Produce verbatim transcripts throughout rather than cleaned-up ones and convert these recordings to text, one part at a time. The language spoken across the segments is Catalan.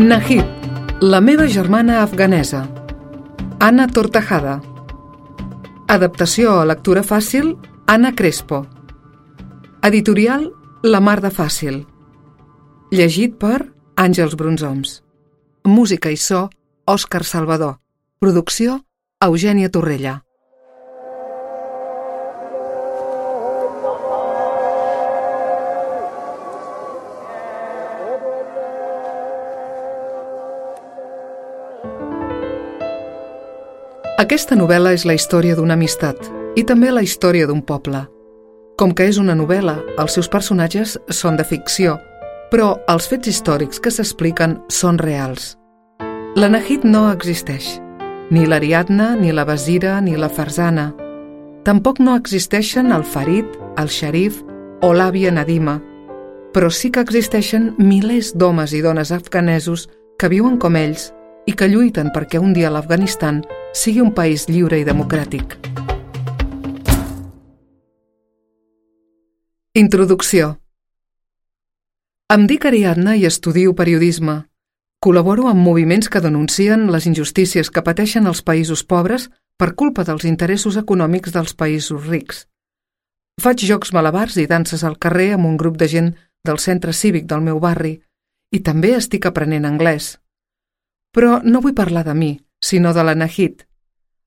Nahid, la meva germana afganesa. Anna Tortajada. Adaptació a lectura fàcil, Anna Crespo. Editorial, La Mar de Fàcil. Llegit per Àngels Brunzoms. Música i so, Òscar Salvador. Producció, Eugènia Torrella. Aquesta novel·la és la història d'una amistat i també la història d'un poble. Com que és una novel·la, els seus personatges són de ficció, però els fets històrics que s'expliquen són reals. La Nahid no existeix. Ni l'Ariadna, ni la Basira, ni la Farzana. Tampoc no existeixen el Farid, el Sharif o l'àvia Nadima, però sí que existeixen milers d'homes i dones afganesos que viuen com ells i que lluiten perquè un dia l'Afganistan sigui un país lliure i democràtic. Introducció. Em dic Ariadna i estudio periodisme. Col·laboro amb moviments que denuncien les injustícies que pateixen els països pobres per culpa dels interessos econòmics dels països rics. Faig jocs malabars i danses al carrer amb un grup de gent del centre cívic del meu barri i també estic aprenent anglès. Però no vull parlar de mi, sinó de la Nahid.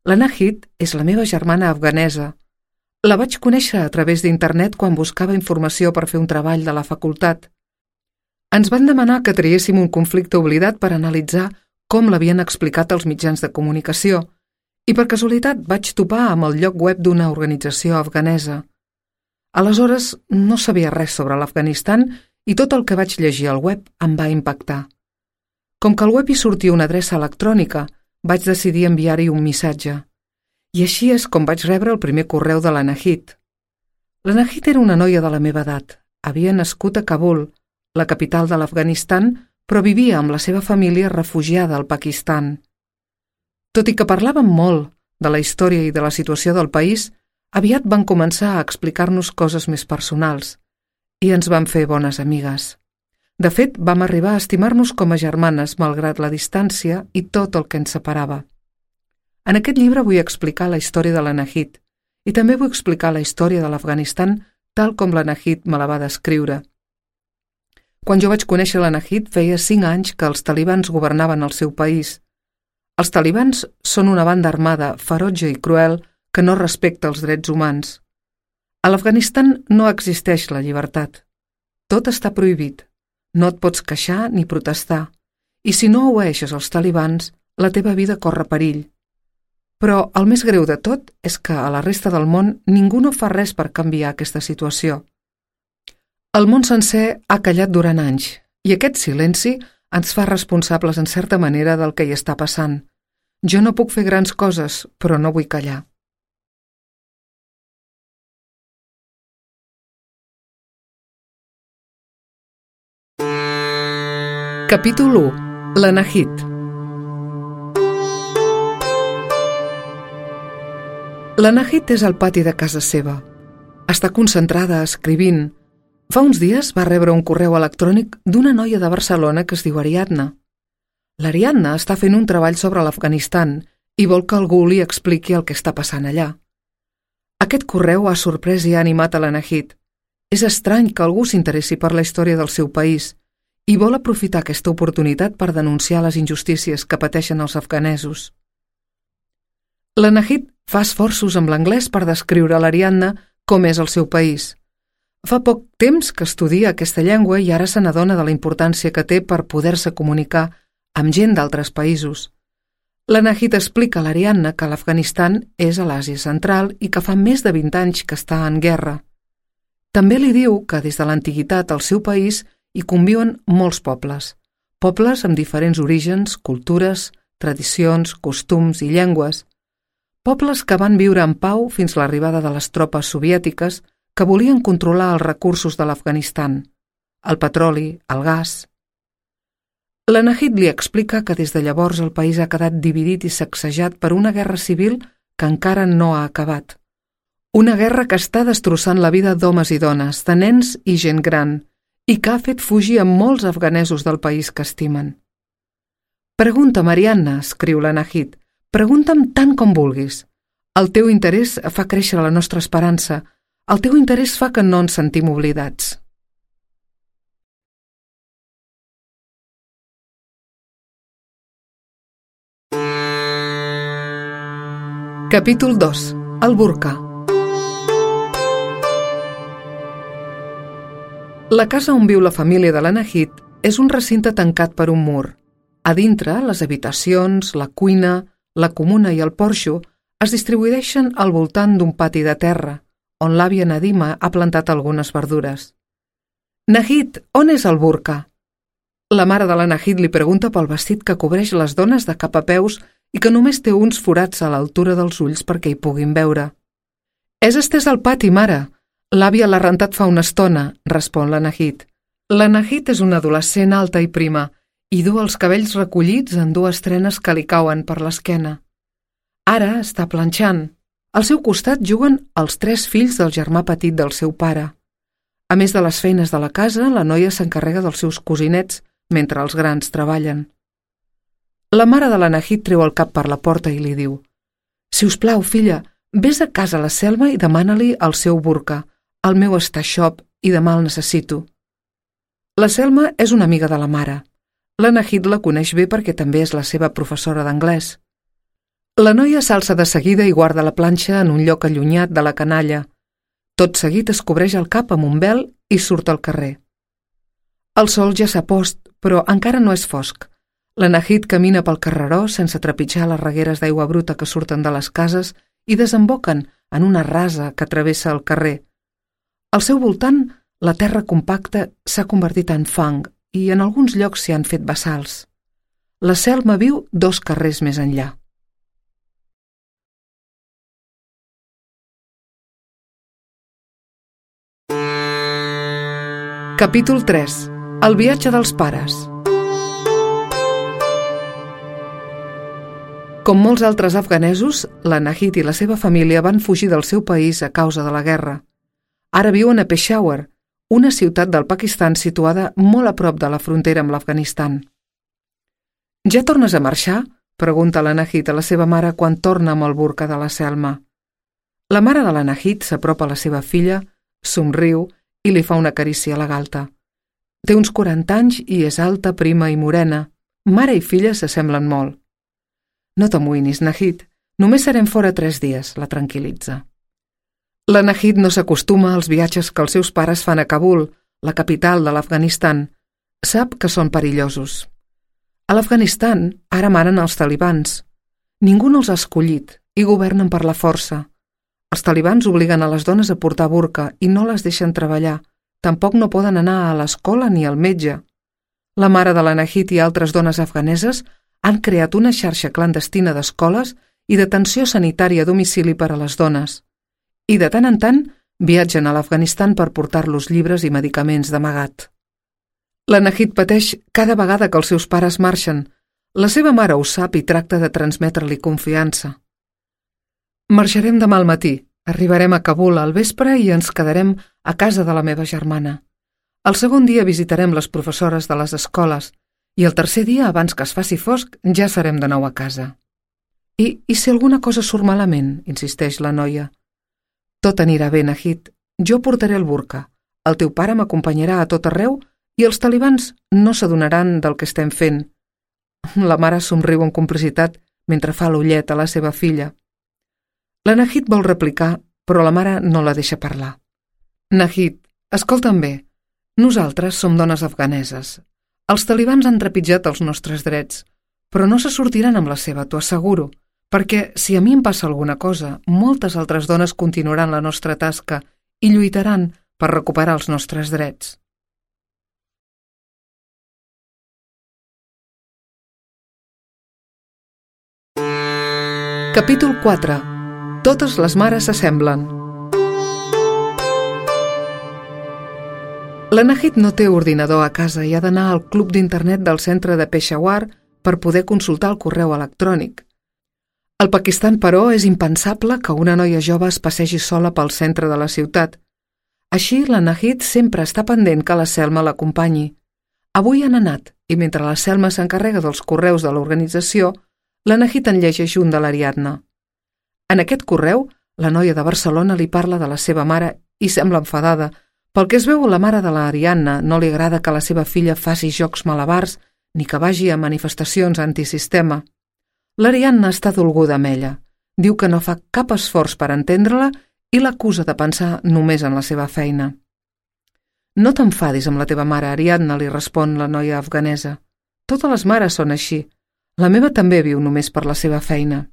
La Nahid és la meva germana afganesa. La vaig conèixer a través d'internet quan buscava informació per fer un treball de la facultat. Ens van demanar que triéssim un conflicte oblidat per analitzar com l'havien explicat els mitjans de comunicació i per casualitat vaig topar amb el lloc web d'una organització afganesa. Aleshores no sabia res sobre l'Afganistan i tot el que vaig llegir al web em va impactar. Com que al web hi sortia una adreça electrònica, vaig decidir enviar-hi un missatge. I així és com vaig rebre el primer correu de la Nahid. La Nahid era una noia de la meva edat. Havia nascut a Kabul, la capital de l'Afganistan, però vivia amb la seva família refugiada al Pakistan. Tot i que parlàvem molt de la història i de la situació del país, aviat van començar a explicar-nos coses més personals i ens vam fer bones amigues. De fet, vam arribar a estimar-nos com a germanes malgrat la distància i tot el que ens separava. En aquest llibre vull explicar la història de la Nahid i també vull explicar la història de l'Afganistan tal com la Nahid me la va descriure. Quan jo vaig conèixer la Nahid feia cinc anys que els talibans governaven el seu país. Els talibans són una banda armada, ferotge i cruel que no respecta els drets humans. A l'Afganistan no existeix la llibertat. Tot està prohibit. No et pots queixar ni protestar, i si no obeeixes els talibans, la teva vida corre perill. Però el més greu de tot és que a la resta del món ningú no fa res per canviar aquesta situació. El món sencer ha callat durant anys, i aquest silenci ens fa responsables en certa manera del que hi està passant. Jo no puc fer grans coses, però no vull callar. Capítol u. La Nahid. La Nahid és al pati de casa seva. Està concentrada escrivint. Fa uns dies va rebre un correu electrònic d'una noia de Barcelona que es diu Ariadna. L'Ariadna està fent un treball sobre l'Afganistan i vol que algú li expliqui el que està passant allà. Aquest correu ha sorprès i ha animat a la Nahid. És estrany que algú s'interessi per la història del seu país i vol aprofitar aquesta oportunitat per denunciar les injustícies que pateixen els afganesos. La Nahid fa esforços amb l'anglès per descriure a l'Ariadna com és el seu país. Fa poc temps que estudia aquesta llengua i ara se n'adona de la importància que té per poder-se comunicar amb gent d'altres països. La Nahid explica a l'Ariadna que l'Afganistan és a l'Àsia Central i que fa més de vint anys que està en guerra. També li diu que des de l'antiguitat al seu país hi conviuen molts pobles, pobles amb diferents orígens, cultures, tradicions, costums i llengües, pobles que van viure en pau fins a l'arribada de les tropes soviètiques que volien controlar els recursos de l'Afganistan, el petroli, el gas. La Nahid li explica que des de llavors el país ha quedat dividit i sacsejat per una guerra civil que encara no ha acabat. Una guerra que està destrossant la vida d'homes i dones, de nens i gent gran, i que ha fet fugir a molts afganesos del país que estimen. Pregunta, Marianna, escriu la Nahid. Pregunta'm tant com vulguis. El teu interès fa créixer la nostra esperança. El teu interès fa que no ens sentim oblidats. Capítol dos. El burca. La casa on viu la família de la Nahid és un recinte tancat per un mur. A dintre, les habitacions, la cuina, la comuna i el porxo es distribueixen al voltant d'un pati de terra, on l'àvia Nadima ha plantat algunes verdures. Nahid, on és el burca? La mare de la Nahid li pregunta pel vestit que cobreix les dones de cap a peus i que només té uns forats a l'altura dels ulls perquè hi puguin veure. És estès al pati, mare. L'àvia l'ha rentat fa una estona, respon la Nahid. La Nahid és una adolescent alta i prima i du els cabells recollits en dues trenes que li cauen per l'esquena. Ara està planxant. Al seu costat juguen els tres fills del germà petit del seu pare. A més de les feines de la casa, la noia s'encarrega dels seus cosinets mentre els grans treballen. La mare de la Nahid treu el cap per la porta i li diu: «Si us plau, filla, vés a casa a la Selma i demana-li el seu burca. El meu està xop i demà el necessito». La Selma és una amiga de la mare. La Nahid la coneix bé perquè també és la seva professora d'anglès. La noia s'alça de seguida i guarda la planxa en un lloc allunyat de la canalla. Tot seguit es cobreix el cap amb un vel i surt al carrer. El sol ja s'ha post, però encara no és fosc. La Nahid camina pel carreró sense trepitjar les regueres d'aigua bruta que surten de les cases i desemboquen en una rasa que travessa el carrer. Al seu voltant, la terra compacta s'ha convertit en fang i en alguns llocs s'hi han fet bassals. La Selma viu dos carrers més enllà. Capítol tres. El viatge dels pares. Com molts altres afganesos, la Nahid i la seva família van fugir del seu país a causa de la guerra. Ara viuen a Peshawar, una ciutat del Pakistan situada molt a prop de la frontera amb l'Afganistan. «Ja tornes a marxar?», pregunta la Nahid a la seva mare quan torna amb el burca de la Selma. La mare de la Nahid s'apropa a la seva filla, somriu i li fa una carícia a la galta. Té uns quaranta anys i és alta, prima i morena. Mare i filla s'assemblen molt. «No t'amoïnis, Nahid. Només serem fora tres dies», la tranquil·litza. La Nahid no s'acostuma als viatges que els seus pares fan a Kabul, la capital de l'Afganistan. Sap que són perillosos. A l'Afganistan ara manen els talibans. Ningú no els ha escollit i governen per la força. Els talibans obliguen a les dones a portar burca i no les deixen treballar. Tampoc no poden anar a l'escola ni al metge. La mare de la Nahid i altres dones afganeses han creat una xarxa clandestina d'escoles i d'atenció sanitària a domicili per a les dones. I de tant en tant viatgen a l'Afganistan per portar-los llibres i medicaments d'amagat. La Nahid pateix cada vegada que els seus pares marxen. La seva mare ho sap i tracta de transmetre-li confiança. «Marxarem demà al matí. Arribarem a Kabul al vespre i ens quedarem a casa de la meva germana. El segon dia visitarem les professores de les escoles i el tercer dia, abans que es faci fosc, ja serem de nou a casa». I, i si alguna cosa surt malament?, insisteix la noia. «Tot anirà bé, Nahid. Jo portaré el burca. El teu pare m'acompanyarà a tot arreu i els talibans no s'adonaran del que estem fent». La mare somriu amb complicitat mentre fa l'ullet a la seva filla. La Nahid vol replicar, però la mare no la deixa parlar. «Nahid, escolta'm bé. Nosaltres som dones afganeses. Els talibans han trepitjat els nostres drets, però no se sortiran amb la seva, t'ho asseguro, perquè si a mi em passa alguna cosa, moltes altres dones continuaran la nostra tasca i lluitaran per recuperar els nostres drets». Capítol quatre. Totes les mares s'assemblen. La Nahid no té ordinador a casa i ha d'anar al club d'internet del centre de Peshawar per poder consultar el correu electrònic. Al Pakistan, però, és impensable que una noia jove es passegi sola pel centre de la ciutat. Així, la Nahid sempre està pendent que la Selma l'acompanyi. Avui han anat, i mentre la Selma s'encarrega dels correus de l'organització, la Nahid en llegeix un de l'Ariadna. En aquest correu, la noia de Barcelona li parla de la seva mare i sembla enfadada. Pel que es veu, la mare de l'Ariadna no li agrada que la seva filla faci jocs malabars ni que vagi a manifestacions antisistema. L'Ariadna està dolguda amb ella. Diu que no fa cap esforç per entendre-la i l'acusa de pensar només en la seva feina. No t'enfadis amb la teva mare, Ariadna, li respon la noia afganesa. Totes les mares són així. La meva també viu només per la seva feina.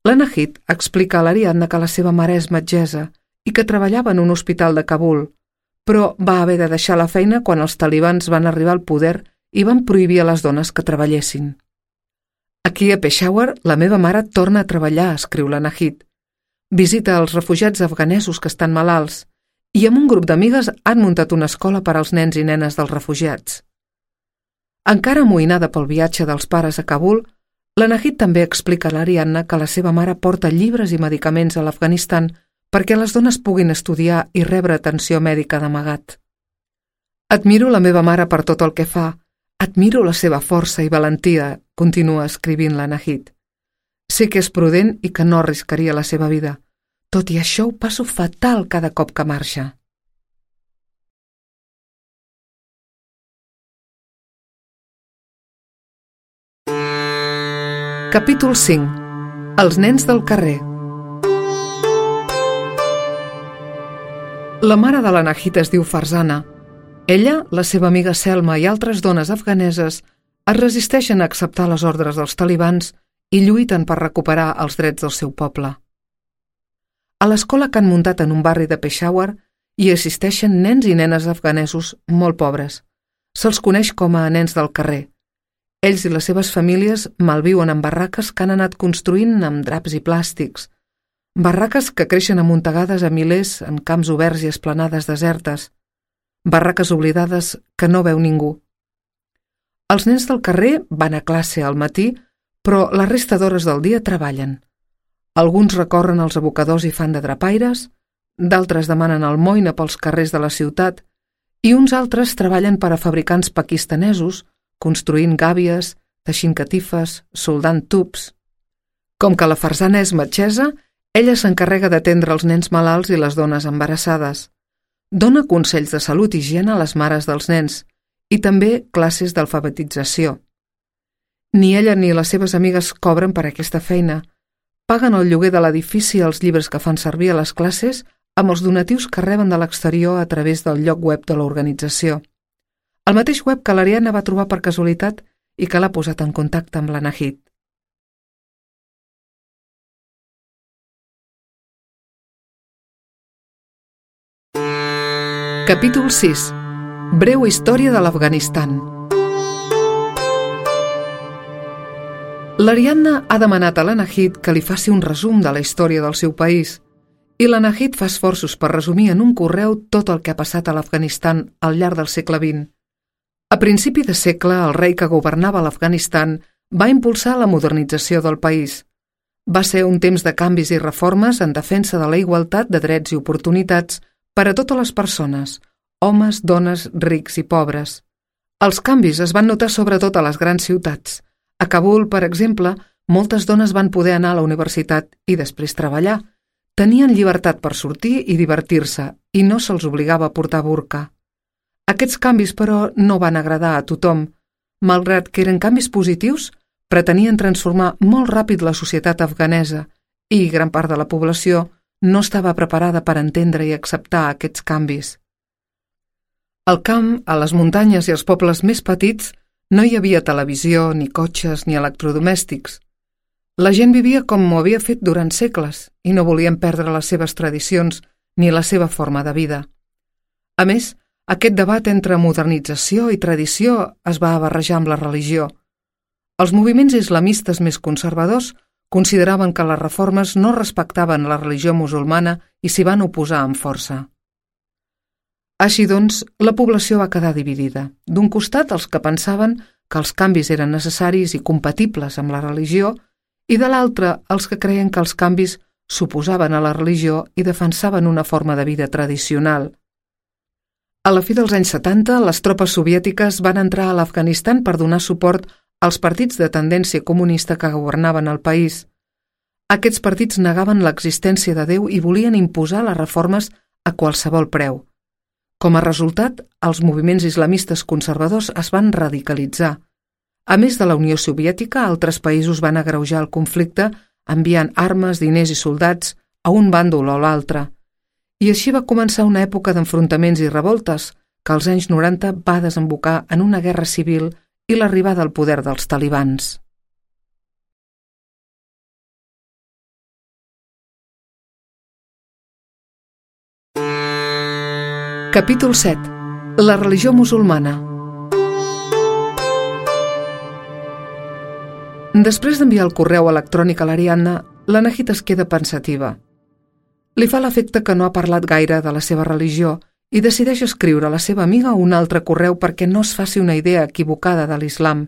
La Nahid explica a l'Ariadna que la seva mare és metgessa i que treballava en un hospital de Kabul, però va haver de deixar la feina quan els talibans van arribar al poder i van prohibir a les dones que treballessin. Aquí a Peshawar, la meva mare torna a treballar, escriu la Nahid. Visita els refugiats afganesos que estan malalts i amb un grup d'amigues han muntat una escola per als nens i nenes dels refugiats. Encara amoïnada pel viatge dels pares a Kabul, la Nahid també explica a l'Ariadna que la seva mare porta llibres i medicaments a l'Afganistan perquè les dones puguin estudiar i rebre atenció mèdica d'amagat. Admiro la meva mare per tot el que fa. Admiro la seva força i valentia, continua escrivint la Nahid. Sé que és prudent i que no arriscaria la seva vida. Tot i això ho passo fatal cada cop que marxa. Capítol cinc. Els nens del carrer. La mare de la Nahid es diu Farzana. Ella, la seva amiga Selma i altres dones afganeses es resisteixen a acceptar les ordres dels talibans i lluiten per recuperar els drets del seu poble. A l'escola que han muntat en un barri de Peshawar hi assisteixen nens i nenes afganesos molt pobres. Se'ls coneix com a nens del carrer. Ells i les seves famílies malviuen en barraques que han anat construint amb draps i plàstics. Barraques que creixen amuntegades a milers en camps oberts i esplanades desertes. Barraques oblidades que no veu ningú. Els nens del carrer van a classe al matí, però la resta d'hores del dia treballen. Alguns recorren els abocadors i fan de drapaires, d'altres demanen almoina pels carrers de la ciutat i uns altres treballen per a fabricants pakistanesos, construint gàbies, teixint catifes, soldant tubs. Com que la Farzana és metgessa, ella s'encarrega d'atendre els nens malalts i les dones embarassades. Dona consells de salut i higiene a les mares dels nens i també classes d'alfabetització. Ni ella ni les seves amigues cobren per aquesta feina. Paguen el lloguer de l'edifici i els llibres que fan servir a les classes amb els donatius que reben de l'exterior a través del lloc web de l'organització. El mateix web que l'Ariadna va trobar per casualitat i que l'ha posat en contacte amb la Nahid. Capítol sis. Breu història de l'Afganistan. L'Ariadna ha demanat a la Nahid que li faci un resum de la història del seu país i la Nahid fa esforços per resumir en un correu tot el que ha passat a l'Afganistan al llarg del segle vint. A principi de segle, el rei que governava l'Afganistan va impulsar la modernització del país. Va ser un temps de canvis i reformes en defensa de la igualtat de drets i oportunitats per a totes les persones, homes, dones, rics i pobres. Els canvis es van notar sobretot a les grans ciutats. A Kabul, per exemple, moltes dones van poder anar a la universitat i després treballar. Tenien llibertat per sortir i divertir-se i no se'ls obligava a portar burca. Aquests canvis, però, no van agradar a tothom. Malgrat que eren canvis positius, pretenien transformar molt ràpid la societat afganesa i gran part de la població no estava preparada per entendre i acceptar aquests canvis. Al camp, a les muntanyes i als pobles més petits, no hi havia televisió, ni cotxes, ni electrodomèstics. La gent vivia com ho havia fet durant segles i no volien perdre les seves tradicions ni la seva forma de vida. A més, aquest debat entre modernització i tradició es va barrejar amb la religió. Els moviments islamistes més conservadors consideraven que les reformes no respectaven la religió musulmana i s'hi van oposar amb força. Així doncs, la població va quedar dividida. D'un costat, els que pensaven que els canvis eren necessaris i compatibles amb la religió, i de l'altre, els que creien que els canvis s'oposaven a la religió i defensaven una forma de vida tradicional. A la fi dels anys setanta, les tropes soviètiques van entrar a l'Afganistan per donar suport als partits de tendència comunista que governaven el país. Aquests partits negaven l'existència de Déu i volien imposar les reformes a qualsevol preu. Com a resultat, els moviments islamistes conservadors es van radicalitzar. A més de la Unió Soviètica, altres països van agreujar el conflicte enviant armes, diners i soldats a un bàndol o l'altre. I així va començar una època d'enfrontaments i revoltes que als anys noranta va desembocar en una guerra civil i l'arribada al poder dels talibans. Capítol set. La religió musulmana. Després d'enviar el correu electrònic a l'Ariadna, la Nahid es queda pensativa. Li fa l'efecte que no ha parlat gaire de la seva religió i decideix escriure a la seva amiga un altre correu perquè no es faci una idea equivocada de l'islam.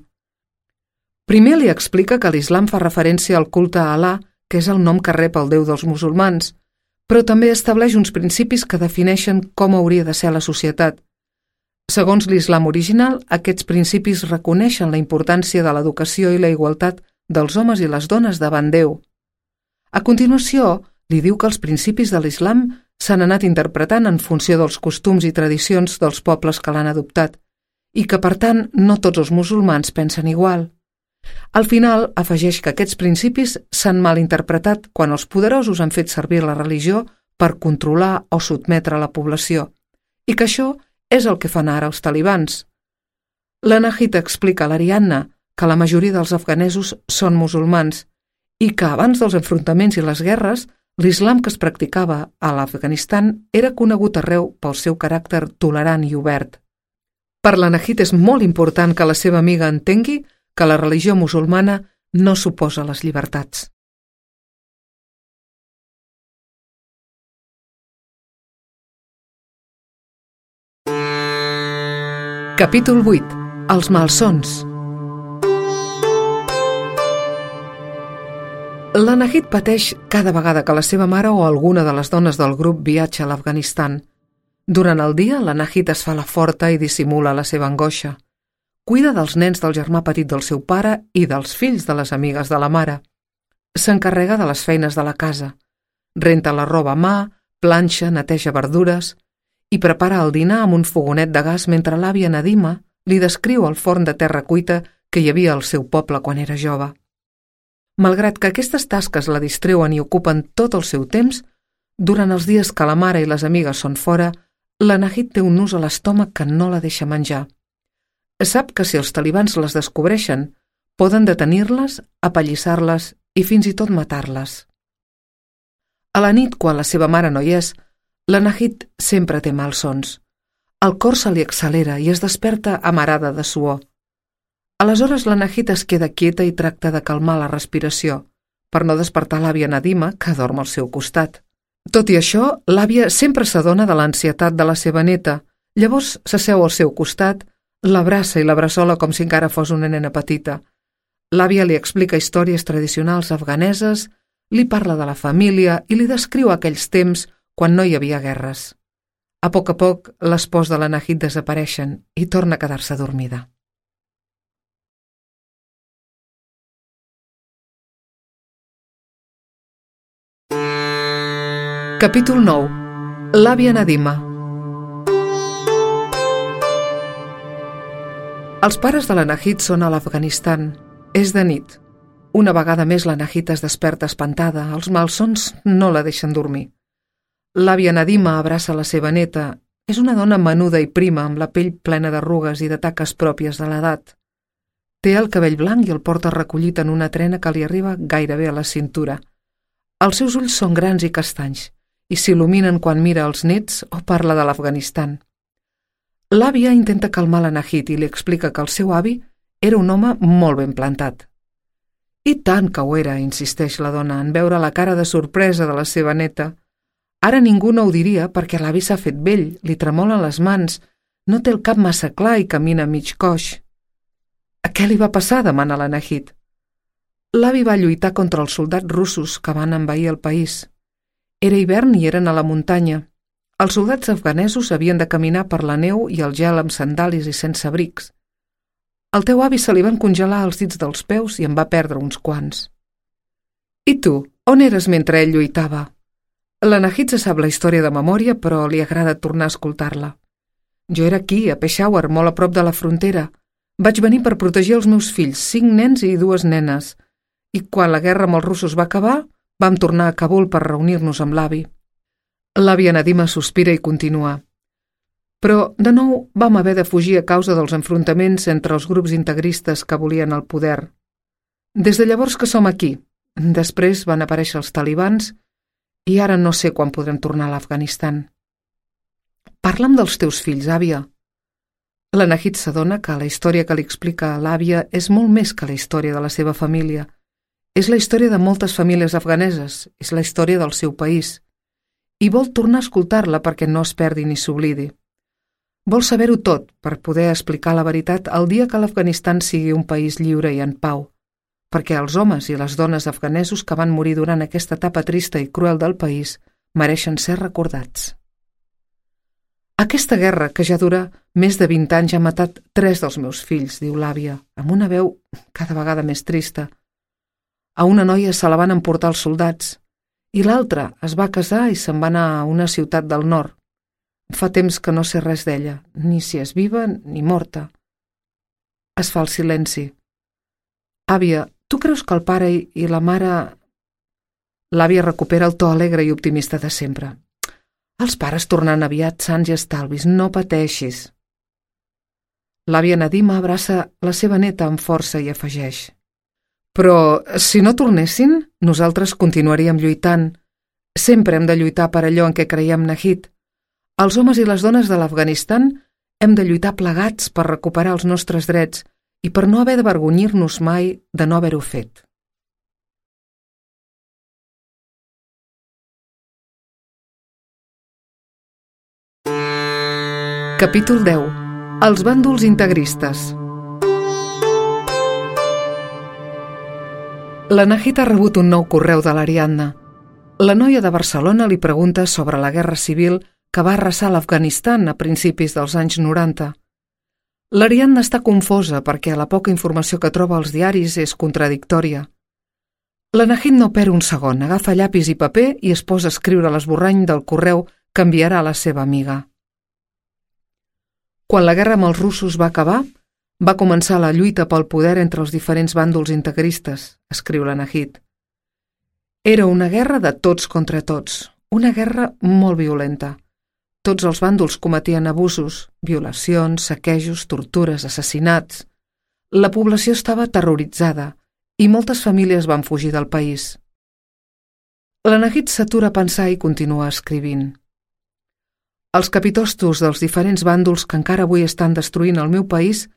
Primer li explica que l'islam fa referència al culte a Alà, que és el nom que rep el Déu dels musulmans, però també estableix uns principis que defineixen com hauria de ser la societat. Segons l'islam original, aquests principis reconeixen la importància de l'educació i la igualtat dels homes i les dones davant Déu. A continuació, li diu que els principis de l'islam s'han anat interpretant en funció dels costums i tradicions dels pobles que l'han adoptat i que, per tant, no tots els musulmans pensen igual. Al final, afegeix que aquests principis s'han mal interpretat quan els poderosos han fet servir la religió per controlar o sotmetre la població i que això és el que fan ara els talibans. La Nahid explica a l'Ariadna que la majoria dels afganesos són musulmans i que abans dels enfrontaments i les guerres l'islam que es practicava a l'Afganistan era conegut arreu pel seu caràcter tolerant i obert. Per la Nahid és molt important que la seva amiga entengui que la religió musulmana no suposa les llibertats. Capítol vuit. Els malsons. La Nahid pateix cada vegada que la seva mare o alguna de les dones del grup viatja a l'Afganistan. Durant el dia, la Nahid es fa la forta i dissimula la seva angoixa. Cuida dels nens del germà petit del seu pare i dels fills de les amigues de la mare. S'encarrega de les feines de la casa. Renta la roba a mà, planxa, neteja verdures i prepara el dinar amb un fogonet de gas mentre l'àvia Nadima li descriu el forn de terra cuita que hi havia al seu poble quan era jove. Malgrat que aquestes tasques la distreuen i ocupen tot el seu temps, durant els dies que la mare i les amigues són fora, la Nahid té un nus a l'estómac que no la deixa menjar. Sap que si els talibans les descobreixen, poden detenir-les, apallissar-les i fins i tot matar-les. A la nit, quan la seva mare no hi és, la Nahid sempre té malsons. El cor se li accelera i es desperta amarada de suor. Aleshores la Nahid es queda quieta i tracta de calmar la respiració, per no despertar l'àvia Nadima, que dorm al seu costat. Tot i això, l'àvia sempre s'adona de l'ansietat de la seva neta, llavors s'asseu al seu costat, l'abraça i l'abraçola com si encara fos una nena petita. L'àvia li explica històries tradicionals afganeses, li parla de la família i li descriu aquells temps quan no hi havia guerres. A poc a poc, les pors de la Nahid desapareixen i torna a quedar-se dormida. Capítol nou. L'àvia Nadima. Els pares de la Nahid són a l'Afganistan. És de nit. Una vegada més la Nahid es desperta espantada. Els malsons no la deixen dormir. L'àvia Nadima abraça la seva neta. És una dona menuda i prima, amb la pell plena d'arrugues i de taques pròpies de l'edat. Té el cabell blanc i el porta recollit en una trena que li arriba gairebé a la cintura. Els seus ulls són grans i castanys i s'il·luminen quan mira els nets o parla de l'Afganistan. L'àvia intenta calmar la Nahid i li explica que el seu avi era un home molt ben plantat. I tant que ho era, insisteix la dona, en veure la cara de sorpresa de la seva neta. Ara ningú no ho diria perquè l'avi s'ha fet vell, li tremolen les mans, no té el cap massa clar i camina mig coix. A què li va passar? Demana la Nahid. L'avi va lluitar contra els soldats russos que van envair el país. Era hivern i eren a la muntanya. Els soldats afganesos havien de caminar per la neu i el gel amb sandàlies i sense abrics. Al teu avi se li van congelar els dits dels peus i en va perdre uns quants. I tu, on eres mentre ell lluitava? La Nahid se sap la història de memòria, però li agrada tornar a escoltar-la. Jo era aquí, a Peshawar, molt a prop de la frontera. Vaig venir per protegir els meus fills, cinc nens i dues nenes. I quan la guerra amb els russos va acabar, vam tornar a Kabul per reunir-nos amb l'avi. L'àvia Nadima sospira i continua. Però, de nou, vam haver de fugir a causa dels enfrontaments entre els grups integristes que volien el poder. Des de llavors que som aquí. Després van aparèixer els talibans i ara no sé quan podrem tornar a l'Afganistan. Parla'm dels teus fills, àvia. La Nahid s'adona que la història que li explica a l'àvia és molt més que la història de la seva família. És la història de moltes famílies afganeses, és la història del seu país. I vol tornar a escoltar-la perquè no es perdi ni s'oblidi. Vol saber-ho tot per poder explicar la veritat el dia que l'Afganistan sigui un país lliure i en pau, perquè els homes i les dones afganesos que van morir durant aquesta etapa trista i cruel del país mereixen ser recordats. Aquesta guerra, que ja dura més de vint anys, ha matat tres dels meus fills, diu l'àvia, amb una veu cada vegada més trista. A una noia se la van emportar els soldats, i l'altra es va casar i se'n va anar a una ciutat del nord. Fa temps que no sé res d'ella, ni si és viva ni morta. Es fa el silenci. Àvia, tu creus que el pare i, i la mare... L'àvia recupera el to alegre i optimista de sempre. Els pares tornaran aviat sants i estalvis, no pateixis. L'àvia Nadima abraça la seva neta amb força i afegeix. Però, si no tornessin, nosaltres continuaríem lluitant. Sempre hem de lluitar per allò en què creiem, Nahid. Els homes i les dones de l'Afganistan hem de lluitar plegats per recuperar els nostres drets i per no haver d'avergonyir-nos mai de no haver-ho fet. Capítol deu. Els bàndols integristes. La Nahid ha rebut un nou correu de l'Ariadna. La noia de Barcelona li pregunta sobre la guerra civil que va arrasar l'Afganistan a principis dels anys noranta. L'Ariadna està confosa perquè la poca informació que troba als diaris és contradictòria. La Nahid no perd un segon, agafa llapis i paper i es posa a escriure l'esborrany del correu que enviarà a la seva amiga. Quan la guerra amb els russos va acabar, va començar la lluita pel poder entre els diferents bàndols integristes, escriu la Nahid. Era una guerra de tots contra tots, una guerra molt violenta. Tots els bàndols cometien abusos, violacions, saquejos, tortures, assassinats. La població estava terroritzada i moltes famílies van fugir del país. La Nahid s'atura a pensar i continua escrivint. Els capitostos dels diferents bàndols que encara avui estan destruint el meu país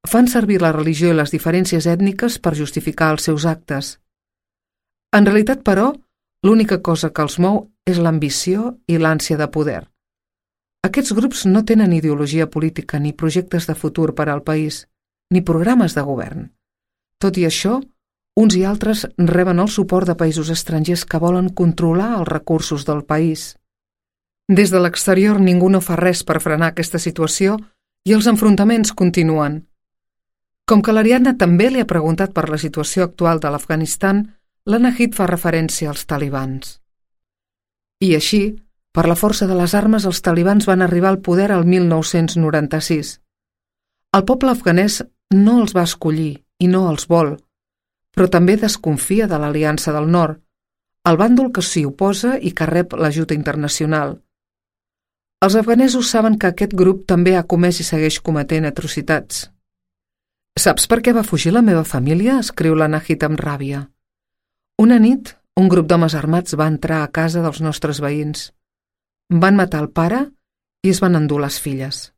fan servir la religió i les diferències ètniques per justificar els seus actes. En realitat, però, l'única cosa que els mou és l'ambició i l'ànsia de poder. Aquests grups no tenen ideologia política ni projectes de futur per al país, ni programes de govern. Tot i això, uns i altres reben el suport de països estrangers que volen controlar els recursos del país. Des de l'exterior ningú no fa res per frenar aquesta situació i els enfrontaments continuen. Com que l'Ariadna també li ha preguntat per la situació actual de l'Afganistan, la Nahid fa referència als talibans. I així, per la força de les armes, els talibans van arribar al poder al mil nou-cents noranta-sis. El poble afganès no els va escollir i no els vol, però també desconfia de l'Aliança del Nord, el bàndol que s'hi oposa i que rep l'ajuda internacional. Els afganesos saben que aquest grup també ha comès i segueix cometent atrocitats. «Saps per què va fugir la meva família?», escriu la Nahid amb ràbia. Una nit, un grup d'homes armats va entrar a casa dels nostres veïns. Van matar el pare i es van endur les filles.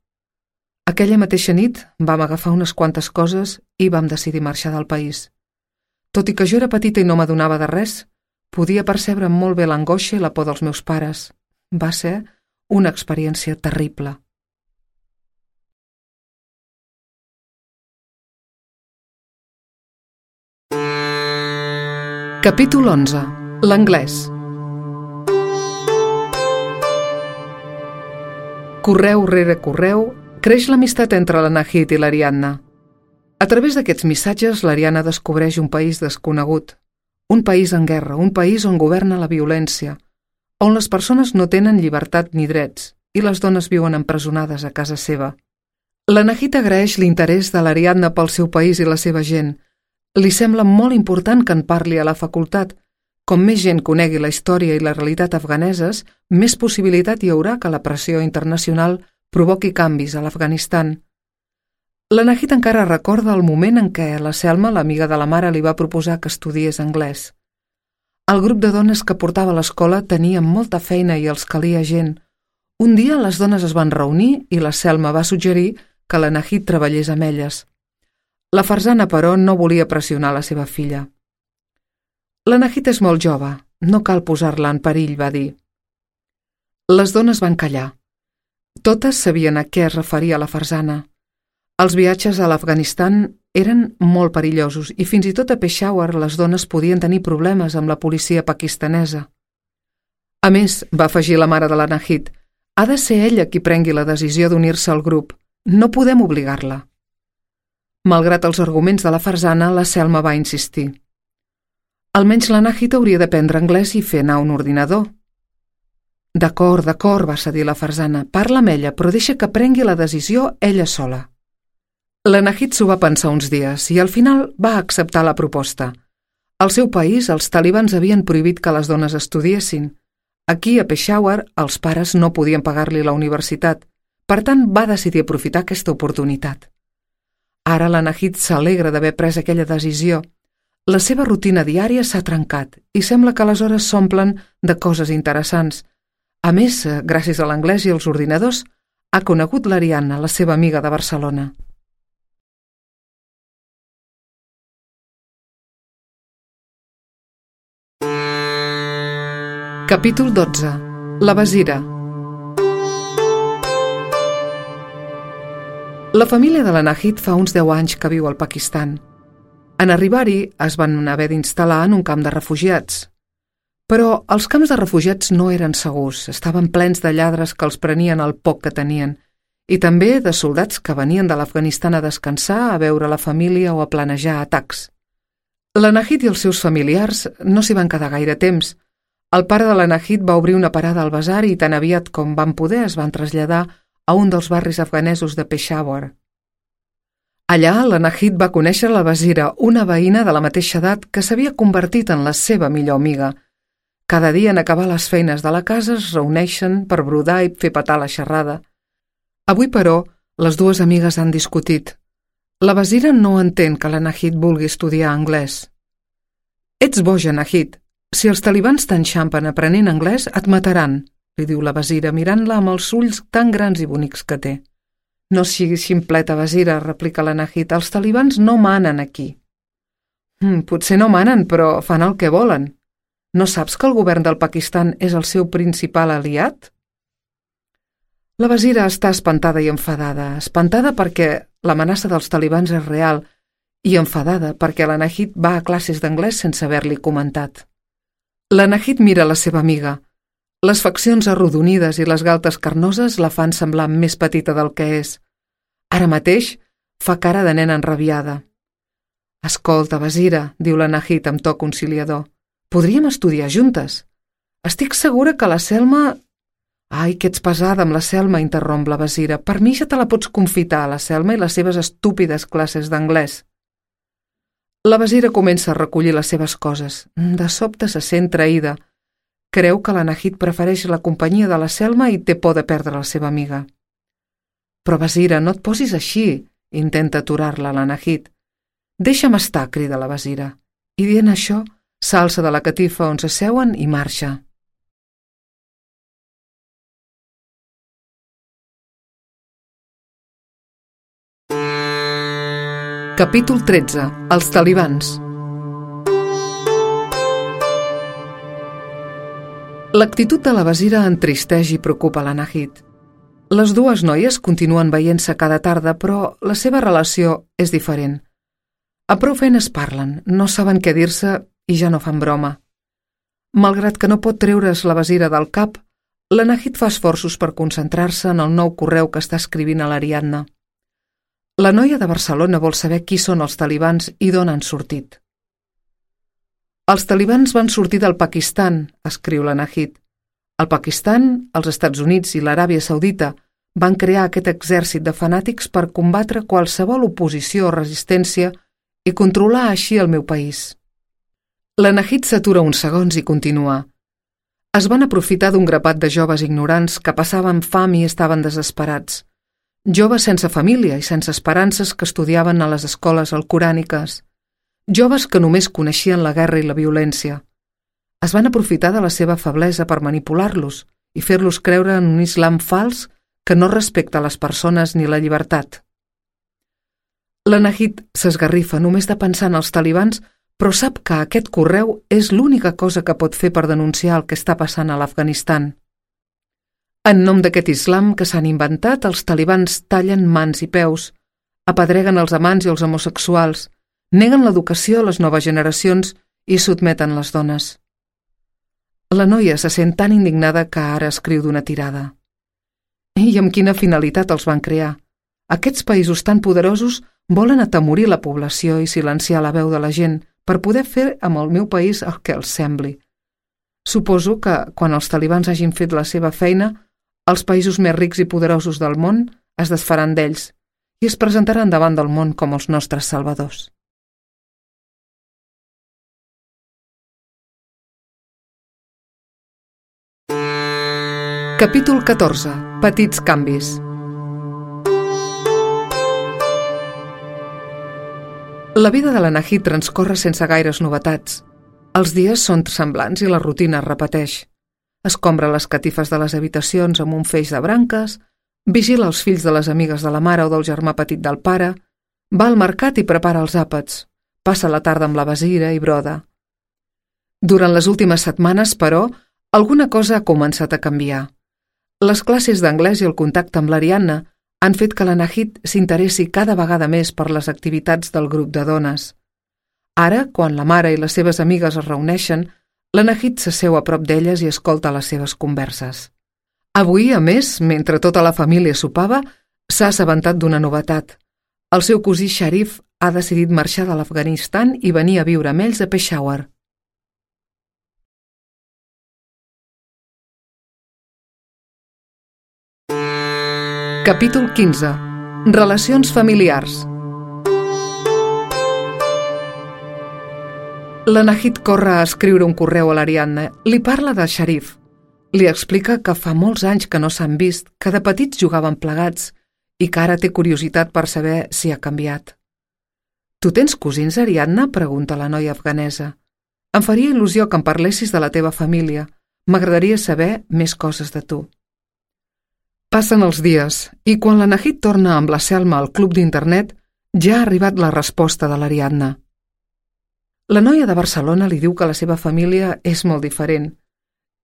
Aquella mateixa nit vam agafar unes quantes coses i vam decidir marxar del país. Tot i que jo era petita i no m'adonava de res, podia percebre molt bé l'angoixa i la por dels meus pares. Va ser una experiència terrible. Capítol onze. L'anglès. Correu rere correu, creix l'amistat entre la Nahid i l'Ariadna. A través d'aquests missatges, l'Ariadna descobreix un país desconegut, un país en guerra, un país on governa la violència, on les persones no tenen llibertat ni drets i les dones viuen empresonades a casa seva. La Nahid agraeix l'interès de l'Ariadna pel seu país i la seva gent. Li sembla molt important que en parli a la facultat. Com més gent conegui la història i la realitat afganeses, més possibilitat hi haurà que la pressió internacional provoqui canvis a l'Afganistan. La Nahid encara recorda el moment en què la Selma, l'amiga de la mare, li va proposar que estudiés anglès. El grup de dones que portava a l'escola tenia molta feina i els calia gent. Un dia les dones es van reunir i la Selma va suggerir que la Nahid treballés amb elles. La Farzana, però, no volia pressionar la seva filla. La Nahid és molt jove, no cal posar-la en perill, va dir. Les dones van callar. Totes sabien a què es referia la Farzana. Els viatges a l'Afganistan eren molt perillosos i fins i tot a Peshawar les dones podien tenir problemes amb la policia pakistanesa. A més, va afegir la mare de la Nahid, ha de ser ella qui prengui la decisió d'unir-se al grup. No podem obligar-la. Malgrat els arguments de la Farzana, la Selma va insistir. Almenys la Nahid hauria d'aprendre anglès i fer anar un ordinador. D'acord, d'acord, va cedir la Farzana. Parla amb ella, però deixa que prengui la decisió ella sola. La Nahid s'ho va pensar uns dies i al final va acceptar la proposta. Al seu país, els talibans havien prohibit que les dones estudiessin. Aquí, a Peshawar, els pares no podien pagar-li la universitat. Per tant, va decidir aprofitar aquesta oportunitat. Ara la Nahid s'alegra d'haver pres aquella decisió. La seva rutina diària s'ha trencat i sembla que les hores s'omplen de coses interessants. A més, gràcies a l'anglès i als ordinadors, ha conegut l'Ariadna, la seva amiga de Barcelona. Capítol dotze. La Basira. La família de la Nahid fa uns deu anys que viu al Pakistan. En arribar-hi es van haver d'instal·lar en un camp de refugiats. Però els camps de refugiats no eren segurs, estaven plens de lladres que els prenien el poc que tenien, i també de soldats que venien de l'Afganistan a descansar, a veure la família o a planejar atacs. La Nahid i els seus familiars no s'hi van quedar gaire temps. El pare de la Nahid va obrir una parada al basar i tan aviat com van poder es van traslladar a un dels barris afganesos de Peshawar. Allà, la Nahid va conèixer la Basira, una veïna de la mateixa edat que s'havia convertit en la seva millor amiga. Cada dia en acabar les feines de la casa es reuneixen per brodar i fer petar la xerrada. Avui, però, les dues amigues han discutit. La Basira no entén que la Nahid vulgui estudiar anglès. Ets boja, Nahid. Si els talibans t'enxampen aprenent anglès, et mataran, li diu la Basira, mirant-la amb els ulls tan grans i bonics que té. No siguis ximpleta, Basira, replica la Nahid, els talibans no manen aquí. Mm, potser no manen, però fan el que volen. No saps que el govern del Pakistan és el seu principal aliat? La Basira està espantada i enfadada, espantada perquè l'amenaça dels talibans és real i enfadada perquè la Nahid va a classes d'anglès sense haver-li comentat. La Nahid mira la seva amiga. Les faccions arrodonides i les galtes carnoses la fan semblar més petita del que és. Ara mateix fa cara de nena enrabiada. Escolta, Basira, diu la Nahid amb to conciliador, podríem estudiar juntes. Estic segura que la Selma... Ai, que ets pesada amb la Selma, interromp la Basira. Per mi ja te la pots confitar, la Selma i les seves estúpides classes d'anglès. La Basira comença a recollir les seves coses. De sobte se sent traïda. Creu que la Nahid prefereix la companyia de la Selma i té por de perdre la seva amiga. Però, Basira, no et posis així, intenta aturar-la la Nahid. Deixa'm estar, crida la Basira. I dient això, s'alça de la catifa on s'asseuen i marxa. Capítol tretze. Els talibans. L'actitud de la Basira entristeix i preocupa la Nahid. Les dues noies continuen veient-se cada tarda, però la seva relació és diferent. A prou feines parlen, no saben què dir-se i ja no fan broma. Malgrat que no pot treure's la Basira del cap, La Nahid fa esforços per concentrar-se en el nou correu que està escrivint a l'Ariadna. La noia de Barcelona vol saber qui són els talibans i d'on han sortit. Els talibans van sortir del Pakistan, escriu la Nahid. El Pakistan, els Estats Units i l'Aràbia Saudita van crear aquest exèrcit de fanàtics per combatre qualsevol oposició o resistència i controlar així el meu país. La Nahid s'atura uns segons i continua. Es van aprofitar d'un grapat de joves ignorants que passaven fam i estaven desesperats. Joves sense família i sense esperances que estudiaven a les escoles alcoràniques. Joves que només coneixien la guerra i la violència. Es van aprofitar de la seva feblesa per manipular-los i fer-los creure en un islam fals que no respecta les persones ni la llibertat. La Nahid s'esgarrifa només de pensar en els talibans, però sap que aquest correu és l'única cosa que pot fer per denunciar el que està passant a l'Afganistan. En nom d'aquest islam que s'han inventat, els talibans tallen mans i peus, apedreguen els amants i els homosexuals, neguen l'educació a les noves generacions i sotmeten les dones. La noia se sent tan indignada que ara escriu d'una tirada. I amb quina finalitat els van crear? Aquests països tan poderosos volen atemorir la població i silenciar la veu de la gent per poder fer amb el meu país el que els sembli. Suposo que, quan els talibans hagin fet la seva feina, els països més rics i poderosos del món es desfaran d'ells i es presentaran davant del món com els nostres salvadors. Capítol catorze. Petits canvis. La vida de la Nahid transcorre sense gaires novetats. Els dies són semblants i la rutina es repeteix. Escombra les catifes de les habitacions amb un feix de branques, vigila els fills de les amigues de la mare o del germà petit del pare, va al mercat i prepara els àpats, passa la tarda amb la besira i broda. Durant les últimes setmanes, però, alguna cosa ha començat a canviar. Les classes d'anglès i el contacte amb l'Ariadna han fet que la Nahid s'interessi cada vegada més per les activitats del grup de dones. Ara, quan la mare i les seves amigues es reuneixen, la Nahid s'asseu a prop d'elles i escolta les seves converses. Avui, a més, mentre tota la família sopava, s'ha assabentat d'una novetat. El seu cosí Sharif ha decidit marxar de l'Afganistan i venir a viure amb ells a Peshawar. Capítol quinze. Relacions familiars. La Nahid corre a escriure un correu a l'Ariadna. Li parla de Sharif. Li explica que fa molts anys que no s'han vist, que de petits jugaven plegats i que ara té curiositat per saber si ha canviat. «Tu tens cosins, Ariadna?», pregunta la noia afganesa. «Em faria il·lusió que em parlessis de la teva família. M'agradaria saber més coses de tu». Passen els dies, i quan la Nahid torna amb la Selma al club d'internet, ja ha arribat la resposta de l'Ariadna. La noia de Barcelona li diu que la seva família és molt diferent.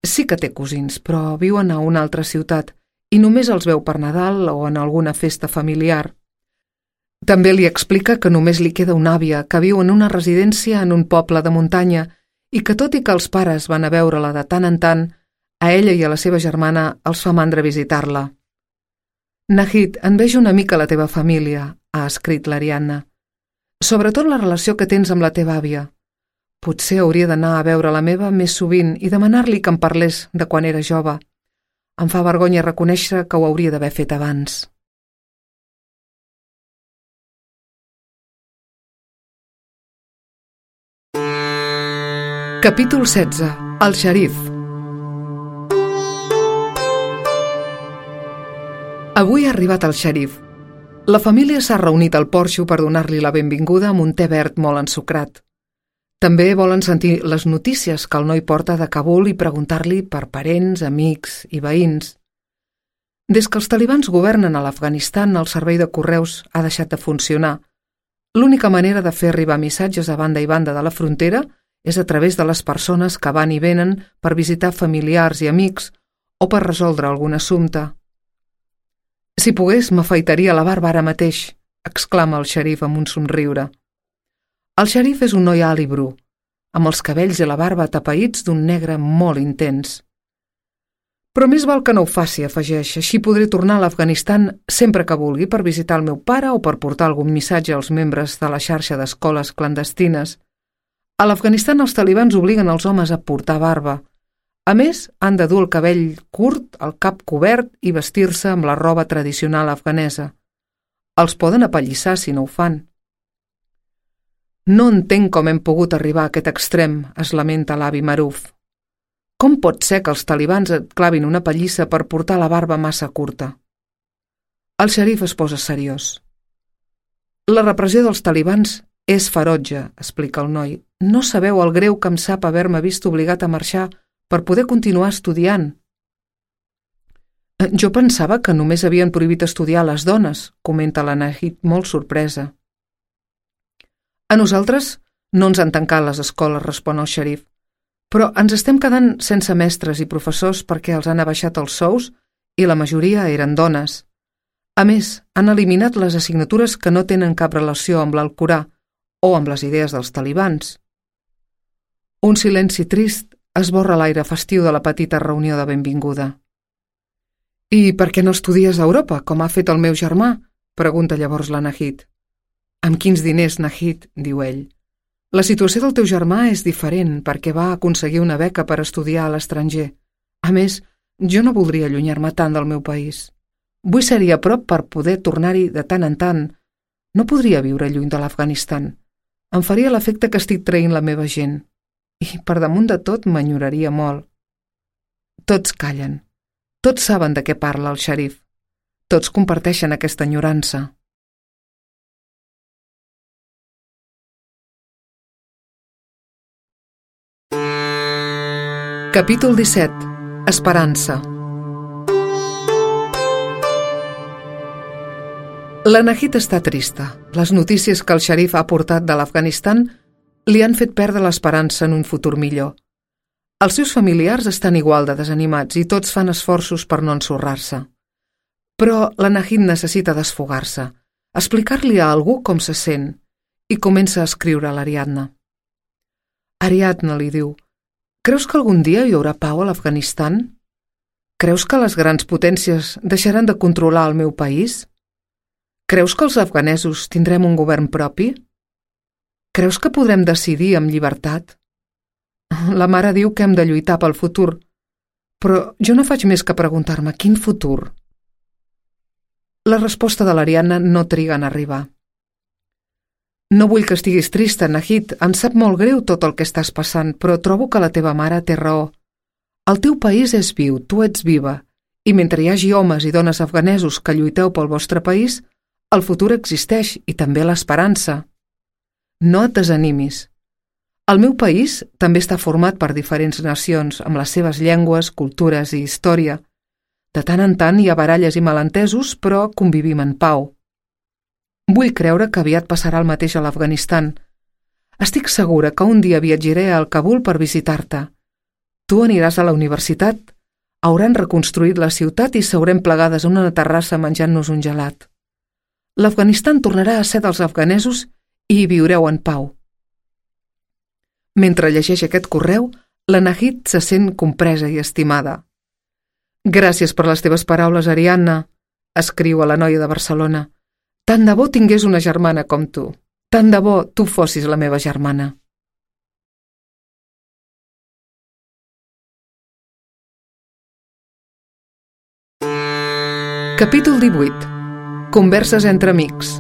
Sí que té cosins, però viuen a una altra ciutat i només els veu per Nadal o en alguna festa familiar. També li explica que només li queda una àvia que viu en una residència en un poble de muntanya i que tot i que els pares van a veure-la de tant en tant, a ella i a la seva germana els fa mandra visitar-la. «Nahid, envejo una mica la teva família», ha escrit l'Ariadna. «Sobretot la relació que tens amb la teva àvia. Potser hauria d'anar a veure la meva més sovint i demanar-li que em parlés de quan era jove. Em fa vergonya reconèixer que ho hauria d'haver fet abans». Capítol setze. El Sharif. Avui ha arribat el Sharif. La família s'ha reunit al porxo per donar-li la benvinguda amb un te verd molt ensucrat. També volen sentir les notícies que el noi porta de Kabul i preguntar-li per parents, amics i veïns. Des que els talibans governen a l'Afganistan, el servei de correus ha deixat de funcionar. L'única manera de fer arribar missatges a banda i banda de la frontera és a través de les persones que van i venen per visitar familiars i amics o per resoldre algun assumpte. «Si pogués, m'afaitaria la barba ara mateix», exclama el Sharif amb un somriure. El Sharif és un noi alt i bru, amb els cabells i la barba atapeïts d'un negre molt intens. Però més val que no ho faci, afegeix. Així podré tornar a l'Afganistan sempre que vulgui per visitar el meu pare o per portar algun missatge als membres de la xarxa d'escoles clandestines. A l'Afganistan els talibans obliguen els homes a portar barba. A més, han de dur el cabell curt, el cap cobert i vestir-se amb la roba tradicional afganesa. Els poden apallissar si no ho fan. No entenc com hem pogut arribar a aquest extrem, es lamenta l'avi Maruf. Com pot ser que els talibans et clavin una pallissa per portar la barba massa curta? El xerif es posa seriós. La repressió dels talibans és ferotge, explica el noi. No sabeu el greu que em sap haver-me vist obligat a marxar per poder continuar estudiant. Jo pensava que només havien prohibit estudiar a les dones, comenta la Nahid molt sorpresa. A nosaltres no ens han tancat les escoles, respon el xerif, però ens estem quedant sense mestres i professors perquè els han abaixat els sous i la majoria eren dones. A més, han eliminat les assignatures que no tenen cap relació amb l'Alcorà o amb les idees dels talibans. Un silenci trist esborra l'aire festiu de la petita reunió de benvinguda. «I per què no estudies a Europa, com ha fet el meu germà?», pregunta llavors la Nahid. «Amb quins diners, Nahid?», diu ell. «La situació del teu germà és diferent perquè va aconseguir una beca per estudiar a l'estranger. A més, jo no voldria allunyar-me tant del meu país. Vull ser-hi a prop per poder tornar-hi de tant en tant. No podria viure lluny de l'Afganistan. Em faria l'efecte que estic traint la meva gent. I, per damunt de tot, m'enyoraria molt». Tots callen. Tots saben de què parla el xerif. Tots comparteixen aquesta enyorança. Capítol disset. Esperança. La Nahid està trista. Les notícies que el xerif ha portat de l'Afganistan li han fet perdre l'esperança en un futur millor. Els seus familiars estan igual de desanimats i tots fan esforços per no ensorrar-se. Però la Nahid necessita desfogar-se, explicar-li a algú com se sent, i comença a escriure a l'Ariadna. Ariadna, li diu, creus que algun dia hi haurà pau a l'Afganistan? Creus que les grans potències deixaran de controlar el meu país? Creus que els afganesos tindrem un govern propi? Creus que podrem decidir amb llibertat? La mare diu que hem de lluitar pel futur, però jo no faig més que preguntar-me quin futur. La resposta de l'Ariadna no triga en arribar. No vull que estiguis trista, Nahid, em sap molt greu tot el que estàs passant, però trobo que la teva mare té raó. El teu país és viu, tu ets viva, i mentre hi hagi homes i dones afganesos que lluiteu pel vostre país, el futur existeix i també l'esperança. No et desanimis. El meu país també està format per diferents nacions, amb les seves llengües, cultures i història. De tant en tant hi ha baralles i malentesos, però convivim en pau. Vull creure que aviat passarà el mateix a l'Afganistan. Estic segura que un dia viatjaré al Kabul per visitar-te. Tu aniràs a la universitat, hauran reconstruït la ciutat i seurem plegades a una terrassa menjant-nos un gelat. L'Afganistan tornarà a ser dels afganesos i hi viureu en pau. Mentre llegeix aquest correu, la Nahid se sent compresa i estimada. Gràcies per les teves paraules, Ariadna, escriu a la noia de Barcelona. Tant de bo tingués una germana com tu. Tant de bo tu fossis la meva germana. Capítol divuit. Converses entre amics.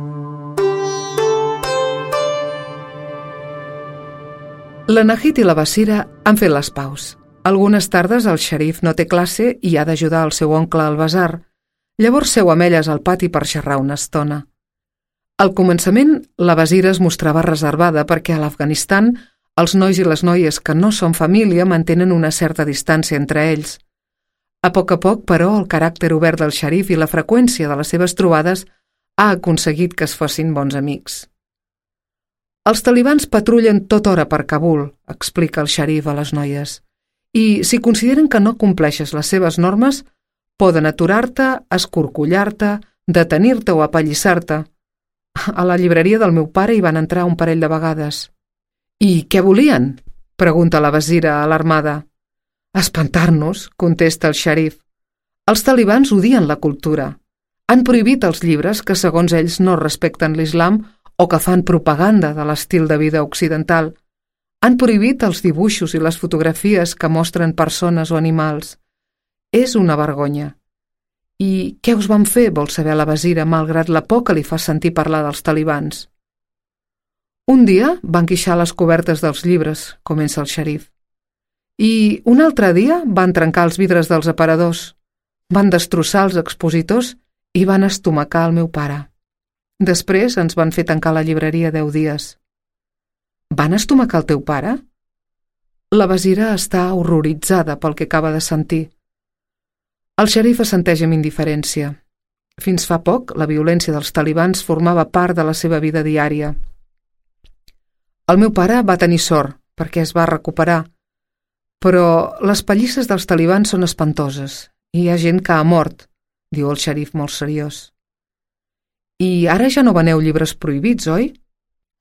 La Nahid i la Basira han fet les paus. Algunes tardes el xerif no té classe i ha d'ajudar el seu oncle al basar. Llavors seu amb elles al pati per xerrar una estona. Al començament, la Basira es mostrava reservada perquè a l'Afganistan els nois i les noies que no són família mantenen una certa distància entre ells. A poc a poc, però, el caràcter obert del xerif i la freqüència de les seves trobades ha aconseguit que es fossin bons amics. Els talibans patrullen tota hora per Kabul, explica el xerif a les noies, i si consideren que no compleixes les seves normes, poden aturar-te, escorcollar-te, detenir-te o apallissar-te. A la llibreria del meu pare hi van entrar un parell de vegades. I què volien? Pregunta la Basira alarmada. Espantar-nos, contesta el xerif. Els talibans odien la cultura. Han prohibit els llibres que, segons ells, no respecten l'islam o que fan propaganda de l'estil de vida occidental. Han prohibit els dibuixos i les fotografies que mostren persones o animals. És una vergonya. I què us van fer, vol saber la Basira, malgrat la por que li fa sentir parlar dels talibans? Un dia van quixar les cobertes dels llibres, comença el xerif. I un altre dia van trencar els vidres dels aparadors, van destrossar els expositors i van estomacar el meu pare. Després ens van fer tancar la llibreria deu dies. Van estomacar el teu pare? La Basira està horroritzada pel que acaba de sentir. El xerif assenteix amb indiferència. Fins fa poc, la violència dels talibans formava part de la seva vida diària. El meu pare va tenir sort, perquè es va recuperar, però les pallisses dels talibans són espantoses i hi ha gent que ha mort, diu el xerif molt seriós. I ara ja no veneu llibres prohibits, oi?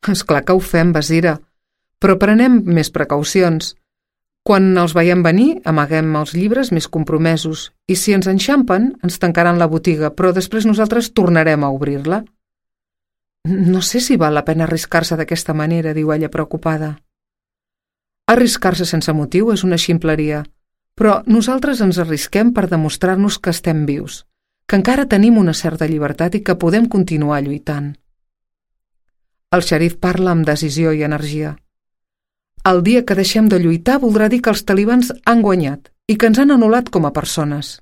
És clar que ho fem, Basira, però prenem més precaucions. Quan els veiem venir, amaguem els llibres més compromesos i si ens enxampen, ens tancaran la botiga, però després nosaltres tornarem a obrir-la. No sé si val la pena arriscar-se d'aquesta manera, diu ella preocupada. Arriscar-se sense motiu és una ximpleria, però nosaltres ens arrisquem per demostrar-nos que estem vius, que encara tenim una certa llibertat i que podem continuar lluitant. El xerif parla amb decisió i energia. El dia que deixem de lluitar voldrà dir que els talibans han guanyat i que ens han anul·lat com a persones.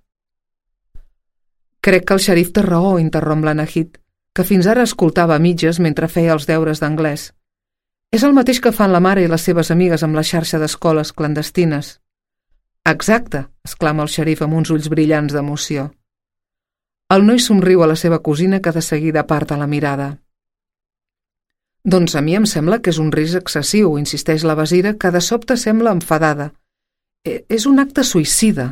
Crec que el xerif té raó, interromp la Nahid, que fins ara escoltava a mitges mentre feia els deures d'anglès. És el mateix que fan la mare i les seves amigues amb la xarxa d'escoles clandestines. Exacte, exclama el xerif amb uns ulls brillants d'emoció. El noi somriu a la seva cosina que de seguida aparta la mirada. Doncs a mi em sembla que és un risc excessiu, insisteix la Basira, que de sobte sembla enfadada. E és un acte suïcida.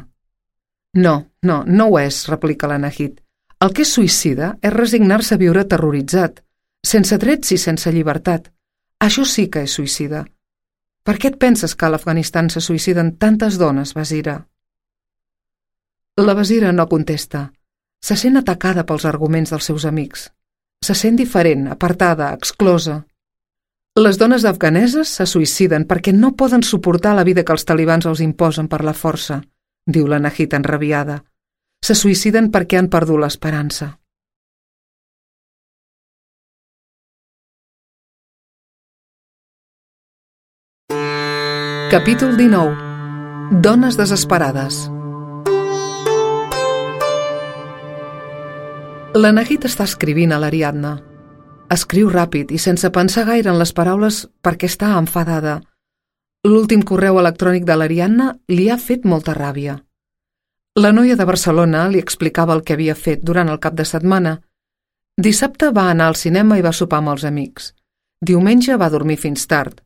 No, no, no ho és, replica la Nahid. El que és suïcida és resignar-se a viure terroritzat, sense drets i sense llibertat. Això sí que és suïcida. Per què et penses que a l'Afganistan se suïciden tantes dones, Basira? La Basira no contesta. Se sent atacada pels arguments dels seus amics. Se sent diferent, apartada, exclosa. Les dones afganeses se suïciden perquè no poden suportar la vida que els talibans els imposen per la força, diu la Nahid enrabiada. Se suïciden perquè han perdut l'esperança. Capítol dinou. Dones desesperades. La Nahid està escrivint a l'Ariadna. Escriu ràpid i sense pensar gaire en les paraules perquè està enfadada. L'últim correu electrònic de l'Ariadna li ha fet molta ràbia. La noia de Barcelona li explicava el que havia fet durant el cap de setmana. Dissabte va anar al cinema i va sopar amb els amics. Diumenge va dormir fins tard.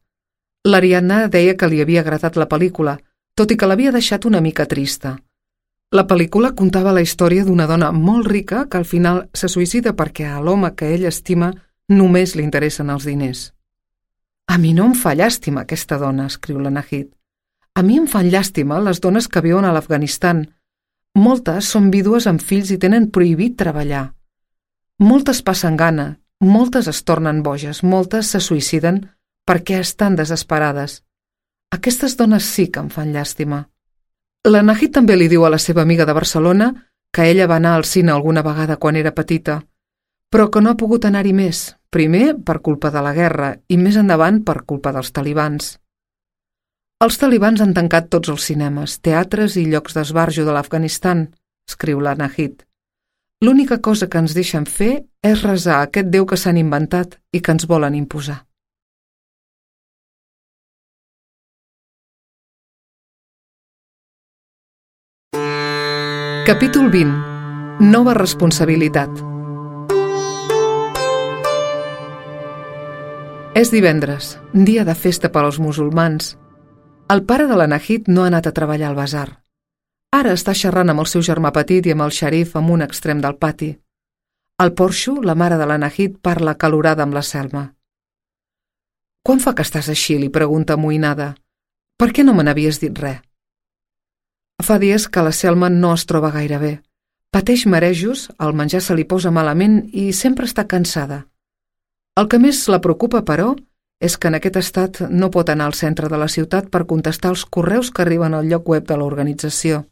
L'Ariadna deia que li havia agradat la pel·lícula, tot i que l'havia deixat una mica trista. La pel·lícula contava la història d'una dona molt rica que al final se suïcida perquè a l'home que ell estima només li interessen els diners. A mi no em fa llàstima aquesta dona, escriu la Nahid. A mi em fan llàstima les dones que viuen a l'Afganistan. Moltes són vídues amb fills i tenen prohibit treballar. Moltes passen gana, moltes es tornen boges, moltes se suïciden perquè estan desesperades. Aquestes dones sí que em fan llàstima. La Nahid també li diu a la seva amiga de Barcelona que ella va anar al cine alguna vegada quan era petita, però que no ha pogut anar-hi més, primer per culpa de la guerra i més endavant per culpa dels talibans. Els talibans han tancat tots els cinemes, teatres i llocs d'esbarjo de l'Afganistan, escriu la Nahid. L'única cosa que ens deixen fer és resar a aquest déu que s'han inventat i que ens volen imposar. Capítol vint. Nova responsabilitat. És divendres, dia de festa per als musulmans. El pare de la Nahid no ha anat a treballar al basar. Ara està xerrant amb el seu germà petit i amb el xerif en un extrem del pati. Al porxo, la mare de la Nahid parla acalorada amb la Selma. «Quan fa que estàs així?», li pregunta amoïnada. «Per què no me n'havies dit res?» Fa dies que la Selma no es troba gaire bé. Pateix marejos, el menjar se li posa malament i sempre està cansada. El que més la preocupa, però, és que en aquest estat no pot anar al centre de la ciutat per contestar els correus que arriben al lloc web de l'organització.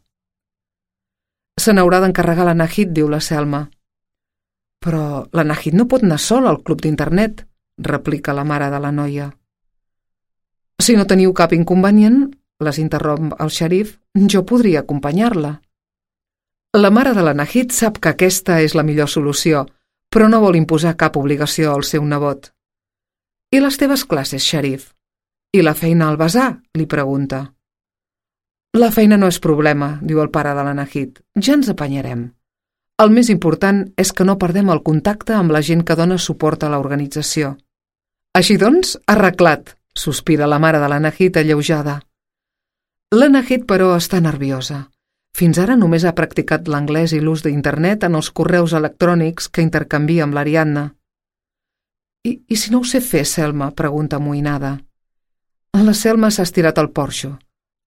Se n'haurà d'encarregar la Nahid, diu la Selma. Però la Nahid no pot anar sola al club d'internet, replica la mare de la noia. Si no teniu cap inconvenient, les interromp el xerif, jo podria acompanyar-la. La mare de la Nahid sap que aquesta és la millor solució, però no vol imposar cap obligació al seu nebot. I les teves classes, xerif? I la feina al basar? Li pregunta. La feina no és problema, diu el pare de la Nahid. Ja ens apanyarem. El més important és que no perdem el contacte amb la gent que dona suport a l'organització. Així doncs, arreglat, sospira la mare de la Nahid alleujada. La Nahid, però, està nerviosa. Fins ara només ha practicat l'anglès i l'ús d'internet en els correus electrònics que intercanvia amb l'Ariadna. I, I si no ho sé fer, Selma? Pregunta amoïnada. La Selma s'ha estirat al porxo.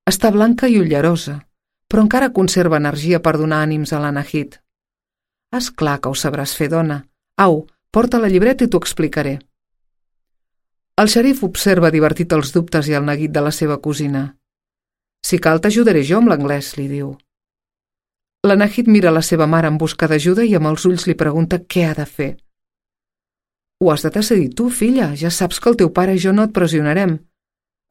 Està blanca i ullerosa, però encara conserva energia per donar ànims a la Nahid. És clar que ho sabràs fer, dona. Au, porta la llibreta i t'ho explicaré. El xerif observa divertit els dubtes i el neguit de la seva cosina. Si cal, t'ajudaré jo amb l'anglès, li diu. La Nahid mira la seva mare en busca d'ajuda i amb els ulls li pregunta què ha de fer. Ho has de decidir tu, filla. Ja saps que el teu pare i jo no et pressionarem.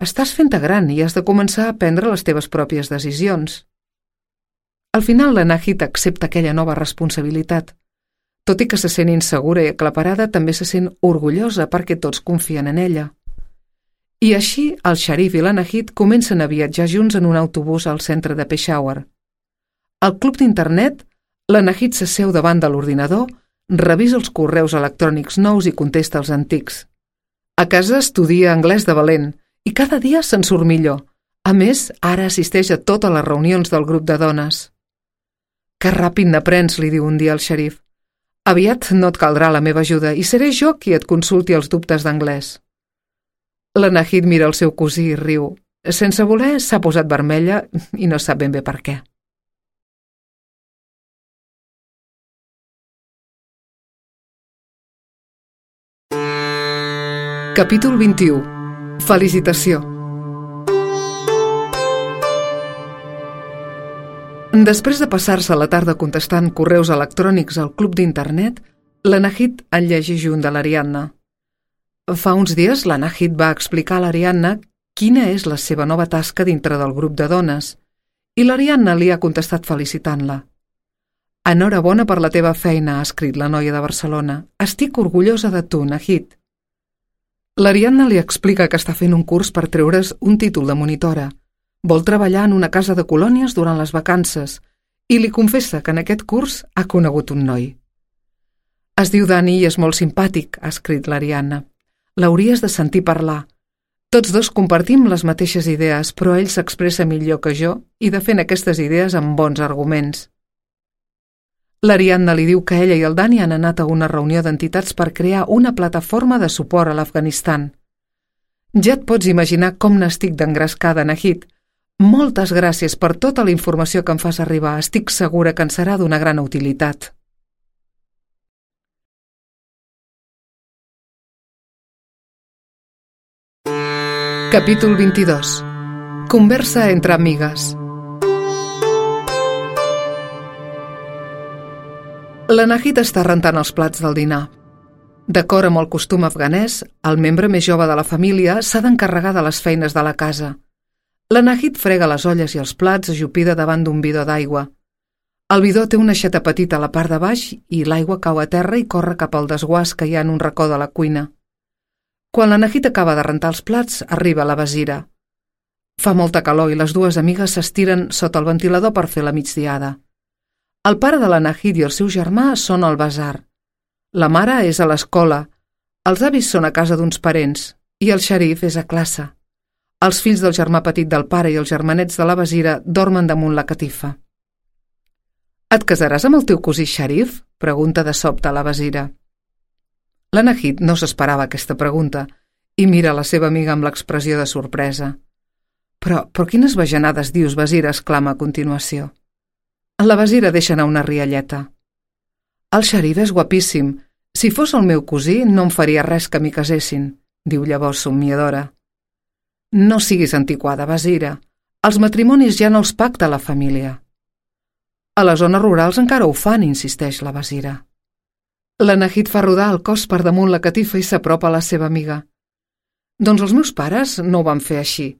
Estàs fent-te gran i has de començar a prendre les teves pròpies decisions. Al final, la Nahid accepta aquella nova responsabilitat. Tot i que se sent insegura i aclaparada, també se sent orgullosa perquè tots confien en ella. I així, el xerif i la Nahid comencen a viatjar junts en un autobús al centre de Peshawar. Al club d'internet, la Nahid s'asseu davant de l'ordinador, revisa els correus electrònics nous i contesta els antics. A casa estudia anglès de valent i cada dia se'n surt millor. A més, ara assisteix a totes les reunions del grup de dones. Que ràpid n'aprens, li diu un dia el xerif. Aviat no et caldrà la meva ajuda i seré jo qui et consulti els dubtes d'anglès. La Nahid mira el seu cosí i riu. Sense voler, s'ha posat vermella i no sap ben bé per què. Capítol vint-i-u. Felicitació. Després de passar-se la tarda contestant correus electrònics al club d'internet, la Nahid en llegeix un de l'Ariadna. Fa uns dies la Nahid va explicar a l'Ariadna quina és la seva nova tasca dintre del grup de dones i l'Ariadna li ha contestat felicitant-la. Enhorabona per la teva feina, ha escrit la noia de Barcelona. Estic orgullosa de tu, Nahid. L'Ariadna li explica que està fent un curs per treure's un títol de monitora. Vol treballar en una casa de colònies durant les vacances i li confessa que en aquest curs ha conegut un noi. Es diu Dani i és molt simpàtic, ha escrit l'Ariadna. L'hauries de sentir parlar. Tots dos compartim les mateixes idees, però ell s'expressa millor que jo i defen aquestes idees amb bons arguments. L'Ariadna li diu que ella i el Dani han anat a una reunió d'entitats per crear una plataforma de suport a l'Afganistan. Ja et pots imaginar com n'estic d'engrescada, Nahid. Moltes gràcies per tota la informació que em fas arribar. Estic segura que en serà d'una gran utilitat. Capítol vint-i-dos. Conversa entre amigues. La Nahid està rentant els plats del dinar. D'acord amb el costum afganès, el membre més jove de la família s'ha d'encarregar de les feines de la casa. La Nahid frega les olles i els plats ajupida davant d'un bidó d'aigua. El bidó té una aixeta petita a la part de baix i l'aigua cau a terra i corre cap al desguàs que hi ha en un racó de la cuina. Quan la Nahid acaba de rentar els plats, arriba la Basira. Fa molta calor i les dues amigues s'estiren sota el ventilador per fer la migdiada. El pare de la Nahid i el seu germà són al basar. La mare és a l'escola, els avis són a casa d'uns parents i el xerif és a classe. Els fills del germà petit del pare i els germanets de la Basira dormen damunt la catifa. Et casaràs amb el teu cosí xerif? Pregunta de sobte la Basira. La Nahid no s'esperava aquesta pregunta i mira la seva amiga amb l'expressió de sorpresa. Però, però quines bajanades dius, Basira? Exclama a continuació. La Basira deixa anar una rialleta. El xerif és guapíssim. Si fos el meu cosí, no em faria res que m'hi casessin, diu llavors somniadora. No siguis antiquada, Basira. Els matrimonis ja no els pacta la família. A les zones rurals encara ho fan, insisteix la Basira. La Nahid fa rodar el cos per damunt la catifa i s'apropa a la seva amiga. Doncs els meus pares no ho van fer així.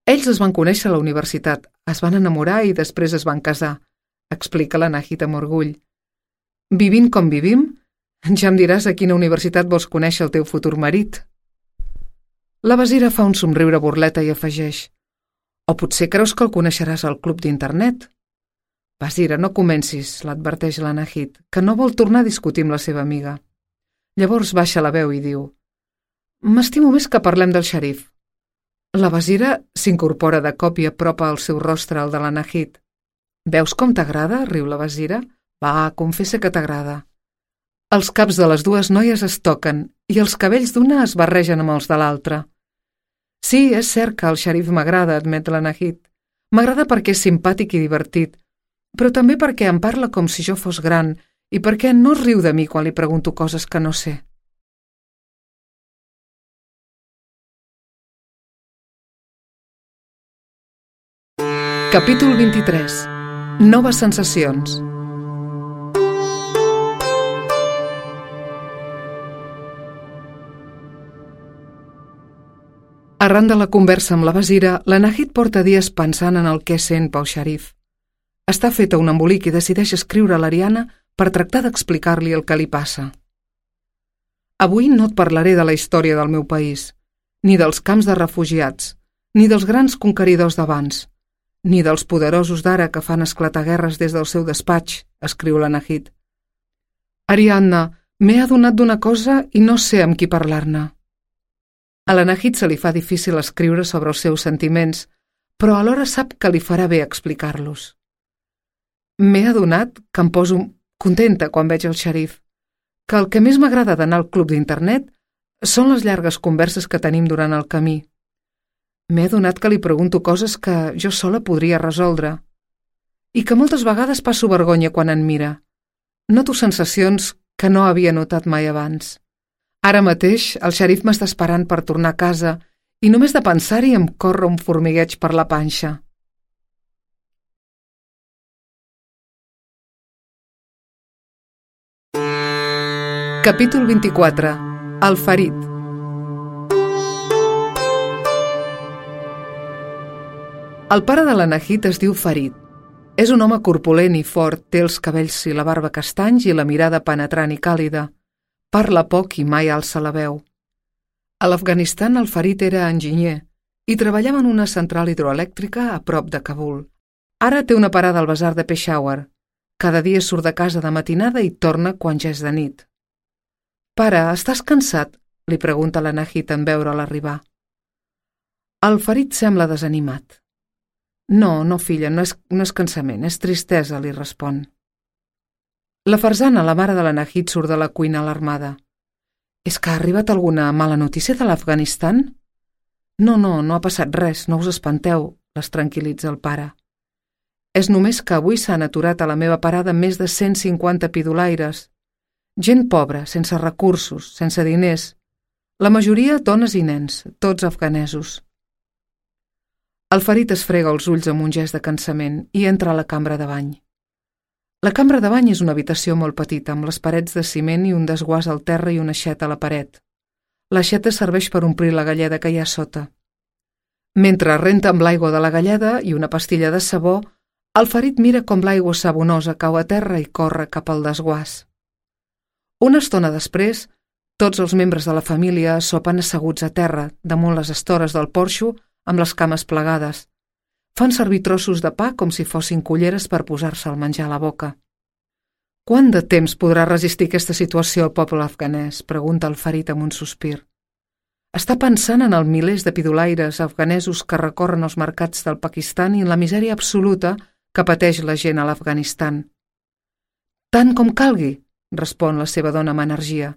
Ells es van conèixer a la universitat, es van enamorar i després es van casar, explica la Nahid amb orgull. Vivint com vivim, ja em diràs a quina universitat vols conèixer el teu futur marit. La Basira fa un somriure burleta i afegeix: o potser creus que el coneixeràs al club d'internet? Basira, no comencis, l'adverteix la Nahid, que no vol tornar a discutir amb la seva amiga. Llavors baixa la veu i diu: m'estimo més que parlem del xerif. La Basira s'incorpora de cop i apropa el seu rostre al de la Nahid. Veus com t'agrada? Riu la Basira. Va, confessa que t'agrada. Els caps de les dues noies es toquen i els cabells d'una es barregen amb els de l'altra. Sí, és cert que el xerif m'agrada, admet la Nahid. M'agrada perquè és simpàtic i divertit, però també perquè em parla com si jo fos gran i perquè no es riu de mi quan li pregunto coses que no sé. Capítol vint-i-tres. Noves sensacions. Arran de la conversa amb la Basira, la Nahid porta dies pensant en el què sent pel xerif. Està feta un embolic i decideix escriure a l'Ariana per tractar d'explicar-li el que li passa. Avui no et parlaré de la història del meu país, ni dels camps de refugiats, ni dels grans conqueridors d'abans, ni dels poderosos d'ara que fan esclatar guerres des del seu despatx, escriu la Nahid. Ariadna, m'he adonat d'una cosa i no sé amb qui parlar-ne. A la Nahid se li fa difícil escriure sobre els seus sentiments, però alhora sap que li farà bé explicar-los. M'he adonat que em poso contenta quan veig el xerif, que el que més m'agrada d'anar al club d'internet són les llargues converses que tenim durant el camí. M'he adonat que li pregunto coses que jo sola podria resoldre i que moltes vegades passo vergonya quan en mira. Noto sensacions que no havia notat mai abans. Ara mateix el xerif m'està esperant per tornar a casa i només de pensar-hi em corre un formigueig per la panxa. Capítol vint-i-quatre. El ferit. El pare de la Nahid es diu Farid. És un home corpulent i fort, té els cabells i la barba castanys i la mirada penetrant i càlida. Parla poc i mai alça la veu. A l'Afganistan el Farid era enginyer i treballava en una central hidroelèctrica a prop de Kabul. Ara té una parada al basar de Peshawar. Cada dia surt de casa de matinada i torna quan ja és de nit. «Pare, estàs cansat?», li pregunta la Nahid en veure'l arribar. El Farid sembla desanimat. «No, no, filla, no és, no és cansament, és tristesa», li respon. La Farzana, la mare de la Nahid, surt de la cuina alarmada. «És que ha arribat alguna mala notícia de l'Afganistan?» «No, no, no ha passat res, no us espanteu», les tranquil·litza el pare. «És només que avui s'han aturat a la meva parada més de cent cinquanta pidolaires. Gent pobra, sense recursos, sense diners. La majoria dones i nens, tots afganesos». El Farid es frega els ulls amb un gest de cansament i entra a la cambra de bany. La cambra de bany és una habitació molt petita, amb les parets de ciment i un desguàs al terra i una aixeta a la paret. L'aixeta serveix per omplir la galleda que hi ha sota. Mentre renta amb l'aigua de la galleda i una pastilla de sabó, el Farid mira com l'aigua sabonosa cau a terra i corre cap al desguàs. Una estona després, tots els membres de la família sopen asseguts a terra, damunt les estores del porxo, amb les cames plegades. Fan servir trossos de pa com si fossin culleres per posar-se el menjar a la boca. «Quant de temps podrà resistir aquesta situació el poble afganès?», pregunta el Farid amb un sospir. Està pensant en els milers de pidolaires afganesos que recorren els mercats del Pakistan i en la misèria absoluta que pateix la gent a l'Afganistan. «Tant com calgui», respon la seva dona amb energia.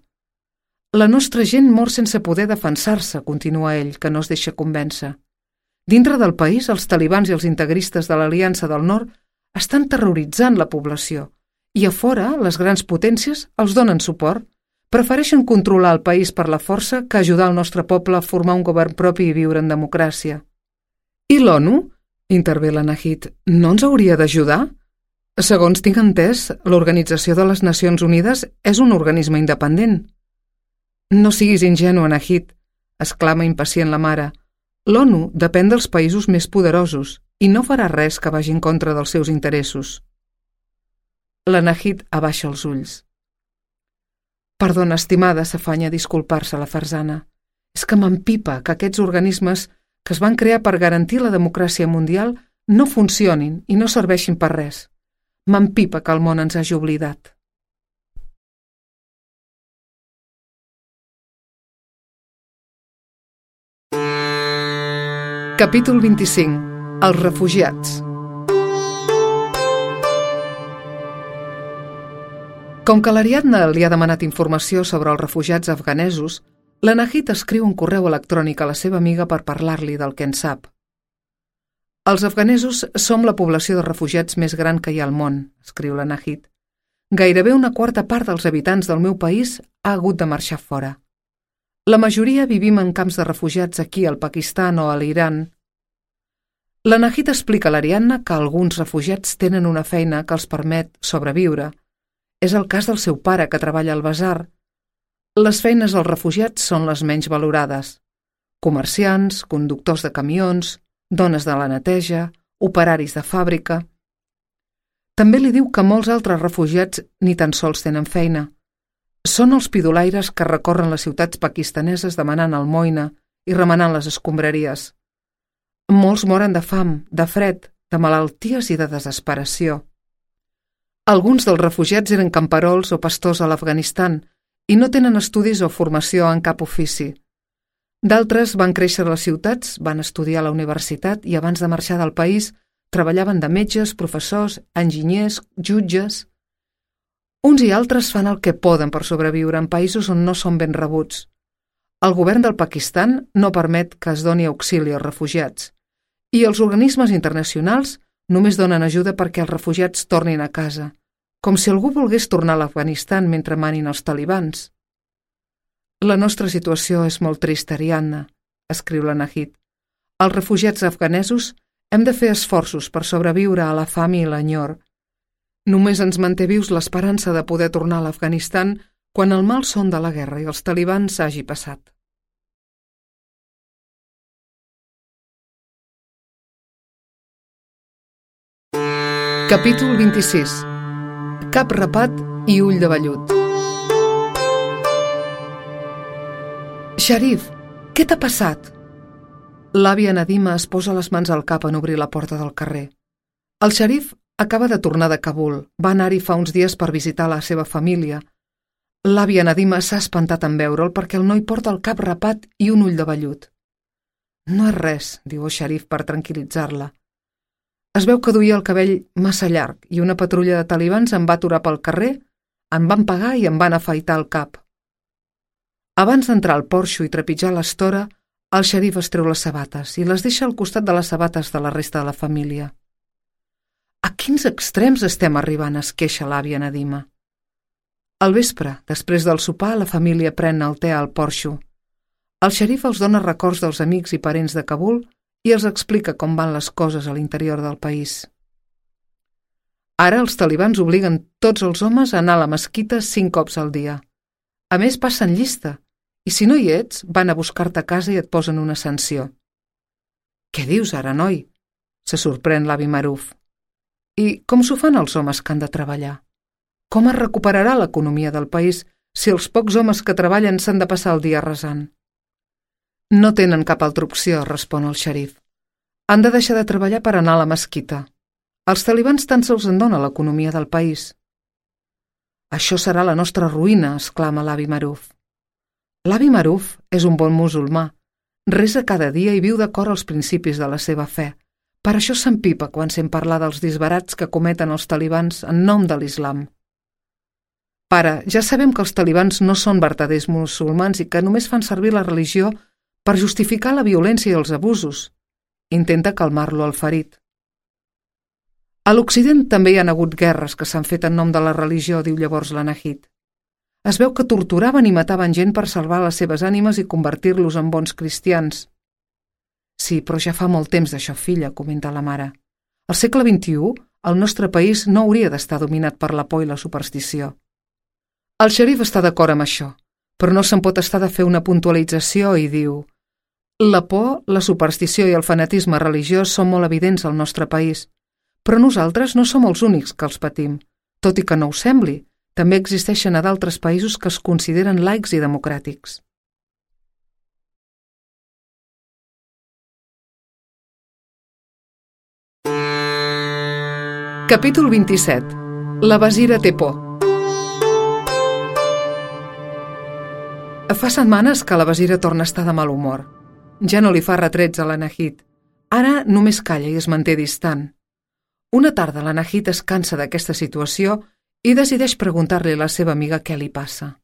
«La nostra gent mor sense poder defensar-se», continua ell, que no es deixa convèncer. Dintre del país, els talibans i els integristes de l'Aliança del Nord estan terroritzant la població i a fora les grans potències els donen suport. Prefereixen controlar el país per la força que ajudar el nostre poble a formar un govern propi i viure en democràcia. I l'ONU? Intervé la Nahid. No ens hauria d'ajudar? Segons tinc entès, l'Organització de les Nacions Unides és un organisme independent. No siguis ingenu, Nahid, exclama impacient la mare. L'ONU depèn dels països més poderosos i no farà res que vagi en contra dels seus interessos. La Nahid abaixa els ulls. Perdona, estimada, s'afanya a disculpar-se la Farzana. És que m'empipa que aquests organismes que es van crear per garantir la democràcia mundial no funcionin i no serveixin per res. M'empipa que el món ens hagi oblidat. Capítol vint-i-cinc. Els refugiats. Com que l'Ariadna li ha demanat informació sobre els refugiats afganesos, la Nahid escriu un correu electrònic a la seva amiga per parlar-li del que en sap. Els afganesos som la població de refugiats més gran que hi ha al món, escriu la Nahid. Gairebé una quarta part dels habitants del meu país ha hagut de marxar fora. La majoria vivim en camps de refugiats aquí al Pakistan o a l'Iran. La Nahid explica a l'Ariadna que alguns refugiats tenen una feina que els permet sobreviure. És el cas del seu pare, que treballa al basar. Les feines dels refugiats són les menys valorades. Comerciants, conductors de camions, dones de la neteja, operaris de fàbrica. També li diu que molts altres refugiats ni tan sols tenen feina. Són els pidolaires que recorren les ciutats pakistaneses demanant almoina i remenant les escombraries. Molts moren de fam, de fred, de malalties i de desesperació. Alguns dels refugiats eren camperols o pastors a l'Afganistan i no tenen estudis o formació en cap ofici. D'altres van créixer a les ciutats, van estudiar a la universitat i abans de marxar del país treballaven de metges, professors, enginyers, jutges. Uns i altres fan el que poden per sobreviure en països on no són ben rebuts. El govern del Pakistan no permet que es doni auxili als refugiats i els organismes internacionals només donen ajuda perquè els refugiats tornin a casa, com si algú volgués tornar a l'Afganistan mentre manin els talibans. La nostra situació és molt trista, Ariadna, escriu la Nahid. Els refugiats afganesos hem de fer esforços per sobreviure a la fam i l'enyor. Només ens manté vius l'esperança de poder tornar a l'Afganistan quan el mal son de la guerra i els talibans hagi passat. Capítol vint-i-sis. Cap rapat i ull de vellut. Sharif, què t'ha passat? L'àvia Nadima es posa les mans al cap en obrir la porta del carrer. El Sharif acaba de tornar de Kabul. Va anar-hi fa uns dies per visitar la seva família. L'àvia Nadima s'ha espantat en veure'l perquè el noi porta el cap rapat i un ull de vellut. No és res, diu el Sharif per tranquil·litzar-la. Es veu que duia el cabell massa llarg i una patrulla de talibans em va aturar pel carrer, em van pagar i em van afaitar el cap. Abans d'entrar al porxo i trepitjar l'estora, el Sharif es treu les sabates i les deixa al costat de les sabates de la resta de la família. A quins extrems estem arribant, es queixa l'àvia Nadima. Al vespre, després del sopar, la família pren el te al porxo. El Sharif els dona records dels amics i parents de Kabul i els explica com van les coses a l'interior del país. Ara els talibans obliguen tots els homes a anar a la mesquita cinc cops al dia. A més, passen llista, i si no hi ets, van a buscar-te a casa i et posen una sanció. Què dius ara, noi? Se sorprèn l'avi Maruf. I com s'ho fan els homes que han de treballar? Com es recuperarà l'economia del país si els pocs homes que treballen s'han de passar el dia resant? No tenen cap altra opció, respon el Sharif. Han de deixar de treballar per anar a la mesquita. Els talibans tan sols en dona l'economia del país. Això serà la nostra ruïna, exclama l'avi Maruf. L'avi Maruf és un bon musulmà. Resa cada dia i viu d'acord als principis de la seva fe. Per això s'empipa quan sent parlar dels disbarats que cometen els talibans en nom de l'islam. Pare, ja sabem que els talibans no són verdaders musulmans i que només fan servir la religió per justificar la violència i els abusos. intenta calmar-lo al ferit. A l'Occident també hi ha hagut guerres que s'han fet en nom de la religió, diu llavors la Nahid. Es veu que torturaven i mataven gent per salvar les seves ànimes i convertir-los en bons cristians. Sí, però ja fa molt temps d'això, filla, comenta la mare. Al segle vint-i-u, el nostre país no hauria d'estar dominat per la por i la superstició. El xerif està d'acord amb això, però no se'n pot estar de fer una puntualització i diu: la por, la superstició i el fanatisme religiós són molt evidents al nostre país, però nosaltres no som els únics que els patim. Tot i que no ho sembli, també existeixen a d'altres països que es consideren laics i democràtics. Capítol vint-i-set. La Basira té por. Fa setmanes que la Basira torna a estar de mal humor. Ja no li fa retrets a la Nahid. Ara només calla i es manté distant. Una tarda la Nahid es cansa d'aquesta situació i decideix preguntar-li a la seva amiga què li passa.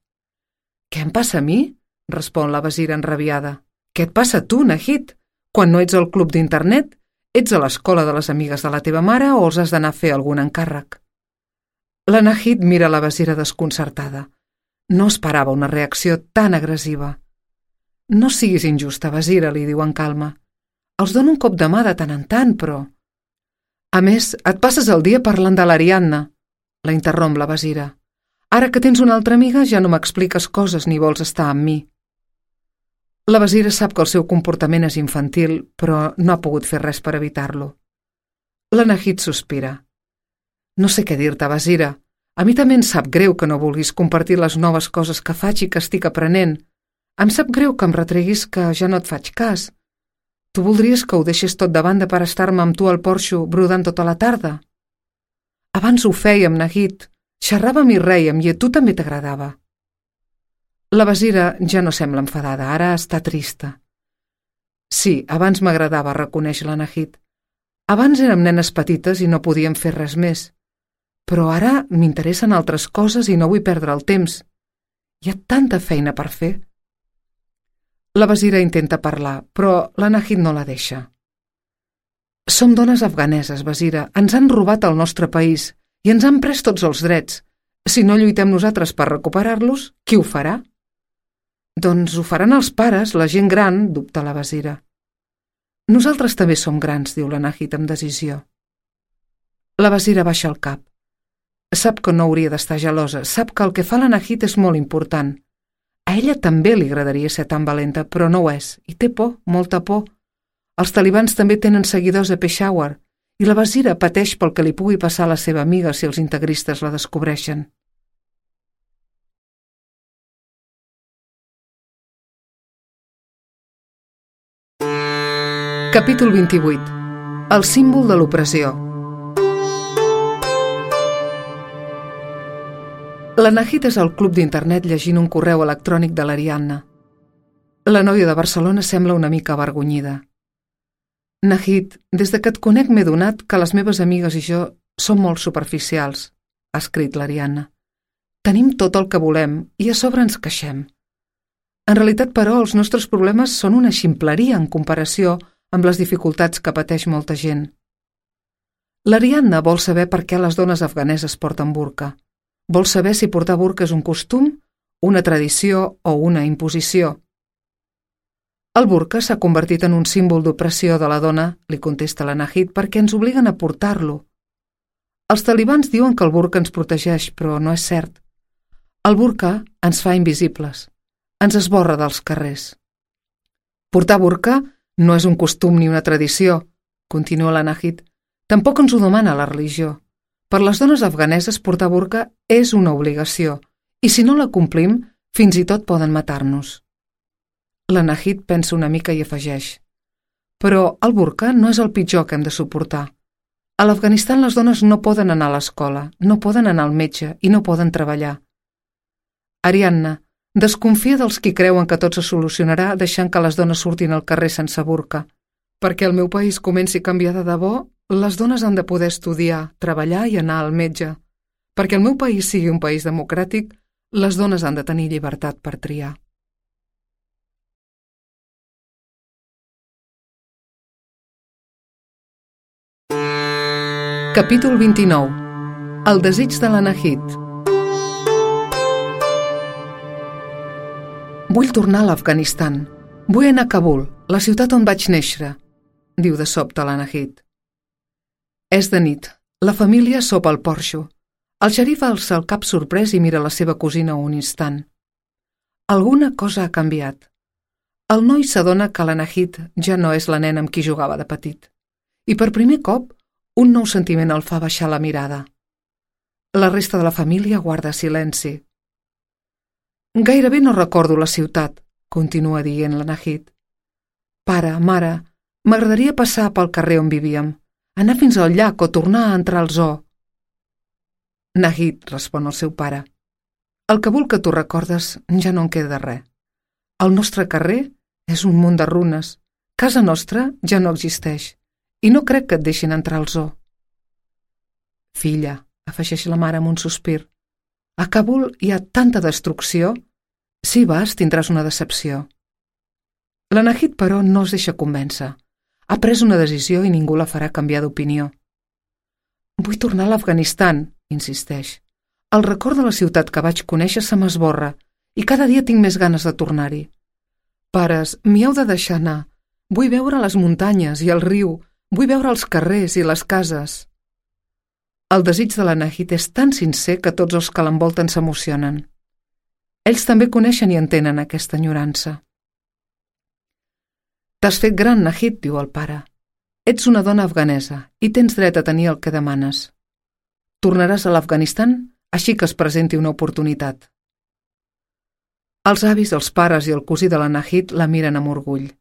«Què em passa a mi?», respon la Basira enrabiada. «Què et passa a tu, Nahid? Quan no ets al club d'internet, ets a l'escola de les amigues de la teva mare o els has d'anar a fer algun encàrrec?» La Nahid mira la Basira desconcertada. No esperava una reacció tan agressiva. «No siguis injusta, Basira», li diu en calma. «Els dono un cop de mà de tant en tant, però...» «A més, et passes el dia parlant de l'Ariadna», la interromp la Basira. «Ara que tens una altra amiga ja no m'expliques coses ni vols estar amb mi». La Basira sap que el seu comportament és infantil, però no ha pogut fer res per evitar-lo. La Nahid sospira. «No sé què dir-te, Basira. A mi també em sap greu que no vulguis compartir les noves coses que faig i que estic aprenent. Em sap greu que em retreguis que ja no et faig cas. Tu voldries que ho deixés tot de banda per estar-me amb tu al porxo brodant tota la tarda? Abans ho fèiem, Nahid. Xerràvem i rèiem i a tu també t'agradava». La Basira ja no sembla enfadada, ara està trista. «Sí, abans m'agradava», reconeix la Nahid. «Abans érem nenes petites i no podíem fer res més. Però ara m'interessen altres coses i no vull perdre el temps. Hi ha tanta feina per fer». La Basira intenta parlar, però la Nahid no la deixa. «Som dones afganeses, Basira. Ens han robat el nostre país i ens han pres tots els drets. Si no lluitem nosaltres per recuperar-los, qui ho farà?» «Doncs ho faran els pares, la gent gran», dubta la Basira. «Nosaltres també som grans», diu la Nahid amb decisió. La Basira baixa el cap. Sap que no hauria d'estar gelosa, sap que el que fa la Nahid és molt important. A ella també li agradaria ser tan valenta, però no ho és, i té por, molta por. Els talibans també tenen seguidors a Peshawar, i la Basira pateix pel que li pugui passar a la seva amiga si els integristes la descobreixen. Capítol vint-i-vuit. El símbol de l'opressió. La Nahid és al club d'internet llegint un correu electrònic de l'Ariadna. La noia de Barcelona sembla una mica avergonyida. «Nahid, des de que et conec m'he donat que les meves amigues i jo som molt superficials», ha escrit l'Ariadna. «Tenim tot el que volem i a sobre ens queixem. En realitat, però, els nostres problemes són una ximpleria en comparació amb les dificultats que pateix molta gent. L'Ariadna vol saber per què les dones afganeses porten burca. Vol saber si portar burca és un costum, una tradició o una imposició. El burca s'ha convertit en un símbol d'opressió de la dona, li contesta la Nahid, perquè ens obliguen a portar-lo. Els talibans diuen que el burca ens protegeix, però no és cert. El burca ens fa invisibles, ens esborra dels carrers. Portar burca no és un costum ni una tradició, continua la Nahid. Tampoc ens ho demana la religió. Per les dones afganeses portar burca és una obligació, i si no la complim, fins i tot poden matar-nos. La Nahid pensa una mica i afegeix. Però el burca no és el pitjor que hem de suportar. A l'Afganistan les dones no poden anar a l'escola, no poden anar al metge i no poden treballar. Ariadna, desconfia dels qui creuen que tot se solucionarà deixant que les dones surtin al carrer sense burca. Perquè el meu país comenci a canviar de debò, les dones han de poder estudiar, treballar i anar al metge. Perquè el meu país sigui un país democràtic, les dones han de tenir llibertat per triar. Capítol vint-i-nou. El desig de l'Anahit. Vull tornar a l'Afganistan. Vull anar a Kabul, la ciutat on vaig néixer, diu de sobte l'Anahit. És de nit. La família sopa al porxo. El xerif alça el cap sorprès i mira la seva cosina un instant. Alguna cosa ha canviat. El noi s'adona que l'Anahit ja no és la nena amb qui jugava de petit. I per primer cop, un nou sentiment el fa baixar la mirada. La resta de la família guarda silenci. Gairebé no recordo la ciutat, continua dient l'Anahit. Pare, mare, m'agradaria passar pel carrer on vivíem, anar fins al llac o tornar a entrar al zoo. Nahid, respon el seu pare. Al Kabul que tu recordes ja no en queda res. El nostre carrer és un munt de runes. Casa nostra ja no existeix. I no crec que et deixin entrar al zoo. Filla, afegeix la mare amb un sospir, a Kabul hi ha tanta destrucció. Si vas, tindràs una decepció. L'Anahit, però, no es deixa convèncer. Ha pres una decisió i ningú la farà canviar d'opinió. Vull tornar a l'Afganistan, insisteix. El record de la ciutat que vaig conèixer se m'esborra i cada dia tinc més ganes de tornar-hi. Pares, m'hi heu de deixar anar. Vull veure les muntanyes i el riu. Vull veure els carrers i les cases. El desig de l'Anahit és tan sincer que tots els que l'envolten s'emocionen. Ells també coneixen i entenen aquesta enyorança. T'has fet gran, Nahid, diu el pare. Ets una dona afganesa i tens dret a tenir el que demanes. Tornaràs a l'Afganistan així que es presenti una oportunitat. Els avis, els pares i el cosí de l'Anahit la miren amb orgull.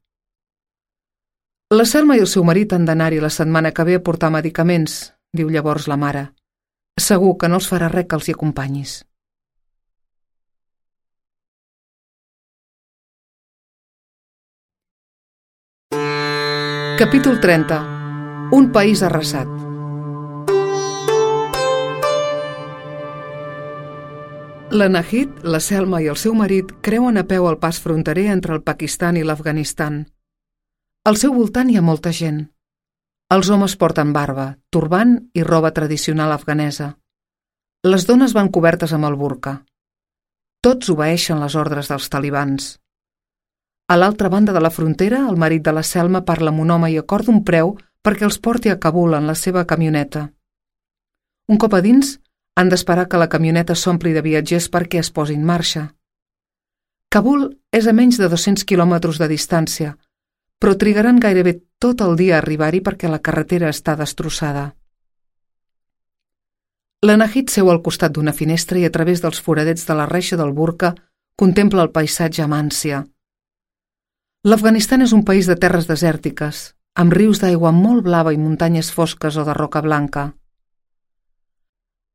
La Selma i el seu marit han d'anar-hi la setmana que ve a portar medicaments, diu llavors la mare. Segur que no els farà res que els hi acompanyis. Capítol trenta. Un país arrasat. L'Anahit, la Selma i el seu marit creuen a peu el pas fronterer entre el Pakistan i l'Afganistan. Al seu voltant hi ha molta gent. Els homes porten barba, turbant i roba tradicional afganesa. Les dones van cobertes amb el burca. Tots obeeixen les ordres dels talibans. A l'altra banda de la frontera, el marit de la Selma parla amb un home i acorda un preu perquè els porti a Kabul en la seva camioneta. Un cop a dins, han d'esperar que la camioneta s'ompli de viatgers perquè es posi en marxa. Kabul és a menys de dos-cents quilòmetres de distància, però trigaran gairebé tot el dia a arribar-hi perquè la carretera està destrossada. L'Anahit seu al costat d'una finestra i a través dels foradets de la reixa del burca contempla el paisatge amb ànsia. L'Afganistan és un país de terres desèrtiques, amb rius d'aigua molt blava i muntanyes fosques o de roca blanca.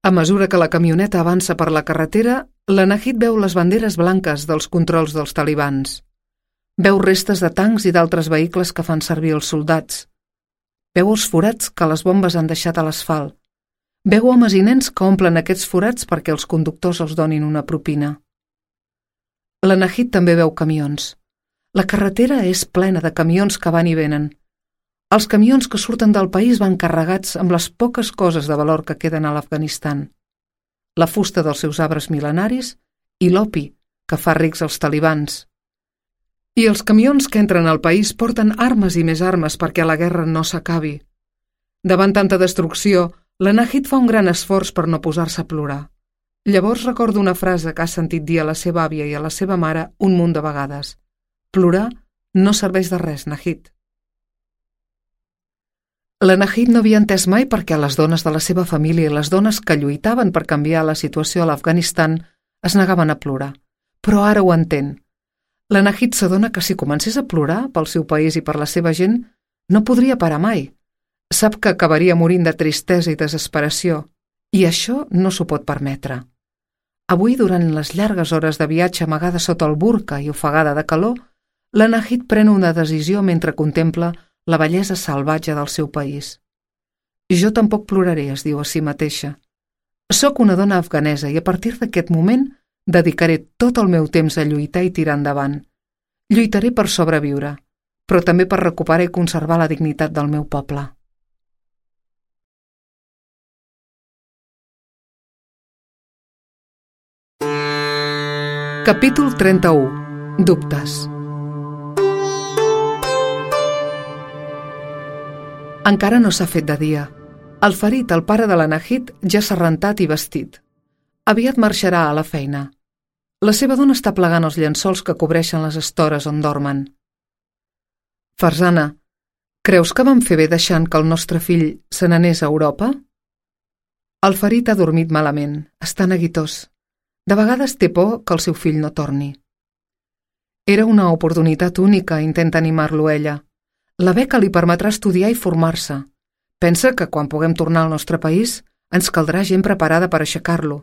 A mesura que la camioneta avança per la carretera, l'Anahit veu les banderes blanques dels controls dels talibans. Veu restes de tancs i d'altres vehicles que fan servir els soldats. Veu els forats que les bombes han deixat a l'asfalt. Veu homes i nens que omplen aquests forats perquè els conductors els donin una propina. L'Anahit també veu camions. La carretera és plena de camions que van i venen. Els camions que surten del país van carregats amb les poques coses de valor que queden a l'Afganistan. La fusta dels seus arbres mil·lenaris i l'opi que fa rics els talibans. I els camions que entren al país porten armes i més armes perquè la guerra no s'acabi. Davant tanta destrucció, l'Anahit fa un gran esforç per no posar-se a plorar. Llavors recorda una frase que ha sentit dir a la seva àvia i a la seva mare un munt de vegades. Plorar no serveix de res, Nahid. L'Anahit no havia entès mai perquè les dones de la seva família i les dones que lluitaven per canviar la situació a l'Afganistan es negaven a plorar. Però ara ho entén. L'Anahit s'adona que si comencés a plorar pel seu país i per la seva gent, no podria parar mai. Sap que acabaria morint de tristesa i desesperació, i això no s'ho pot permetre. Avui, durant les llargues hores de viatge amagada sota el burca i ofegada de calor, l'Anahit pren una decisió mentre contempla la bellesa salvatge del seu país. Jo tampoc ploraré, es diu a si mateixa. Soc una dona afganesa i a partir d'aquest moment dedicaré tot el meu temps a lluitar i tirar endavant. Lluitaré per sobreviure, però també per recuperar i conservar la dignitat del meu poble. Capítol trenta-u. Dubtes. Encara no s'ha fet de dia. El Farid, el pare de la Nahid, ja s'ha rentat i vestit. Aviat marxarà a la feina. La seva dona està plegant els llençols que cobreixen les estores on dormen. Farzana, creus que vam fer bé deixant que el nostre fill se n'anés a Europa? El Farid ha dormit malament, està neguitós. De vegades té por que el seu fill no torni. Era una oportunitat única, intenta animar-lo ella. La beca li permetrà estudiar i formar-se. Pensa que quan puguem tornar al nostre país ens caldrà gent preparada per aixecar-lo.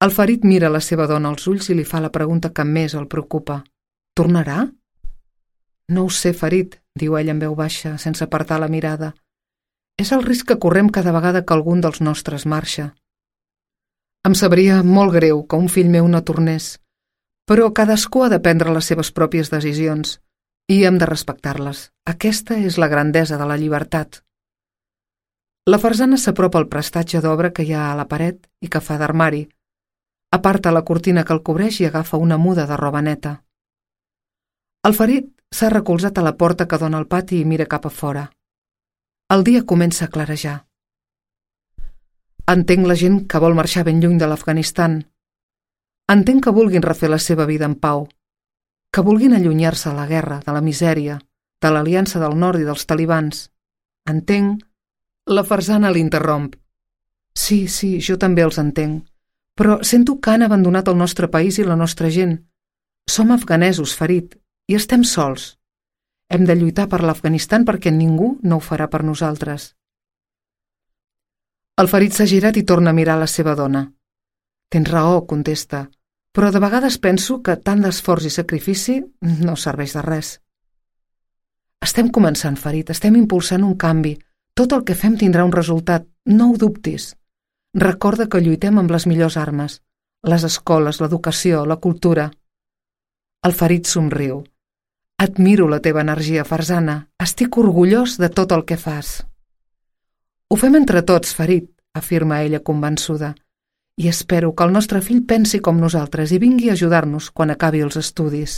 El Farid mira la seva dona als ulls i li fa la pregunta que més el preocupa. Tornarà? No ho sé, Farid, diu ella en veu baixa, sense apartar la mirada. És el risc que correm cada vegada que algun dels nostres marxa. Em sabria molt greu que un fill meu no tornés, però cadascú ha de prendre les seves pròpies decisions i hem de respectar-les. Aquesta és la grandesa de la llibertat. La Farzana s'apropa al prestatge d'obra que hi ha a la paret i que fa d'armari. Aparta la cortina que el cobreix i agafa una muda de roba neta. El Farid s'ha recolzat a la porta que dona al pati i mira cap a fora. El dia comença a clarejar. Entenc la gent que vol marxar ben lluny de l'Afganistan. Entenc que vulguin refer la seva vida en pau, que vulguin allunyar-se de la guerra, de la misèria, de l'aliança del nord i dels talibans. Entenc... La Farzana l'interromp. Sí, sí, jo també els entenc, però sento que han abandonat el nostre país i la nostra gent. Som afganesos, Farid, i estem sols. Hem de lluitar per l'Afganistan perquè ningú no ho farà per nosaltres. El Farid s'ha girat i torna a mirar la seva dona. Tens raó, contesta, però de vegades penso que tant d'esforç i sacrifici no serveix de res. Estem començant, Farid, estem impulsant un canvi. Tot el que fem tindrà un resultat, no ho dubtis. Recorda que lluitem amb les millors armes, les escoles, l'educació, la cultura. El Farid somriu. Admiro la teva energia, Farzana. Estic orgullós de tot el que fas. Ho fem entre tots, Farid, afirma ella convençuda, i espero que el nostre fill pensi com nosaltres i vingui a ajudar-nos quan acabi els estudis.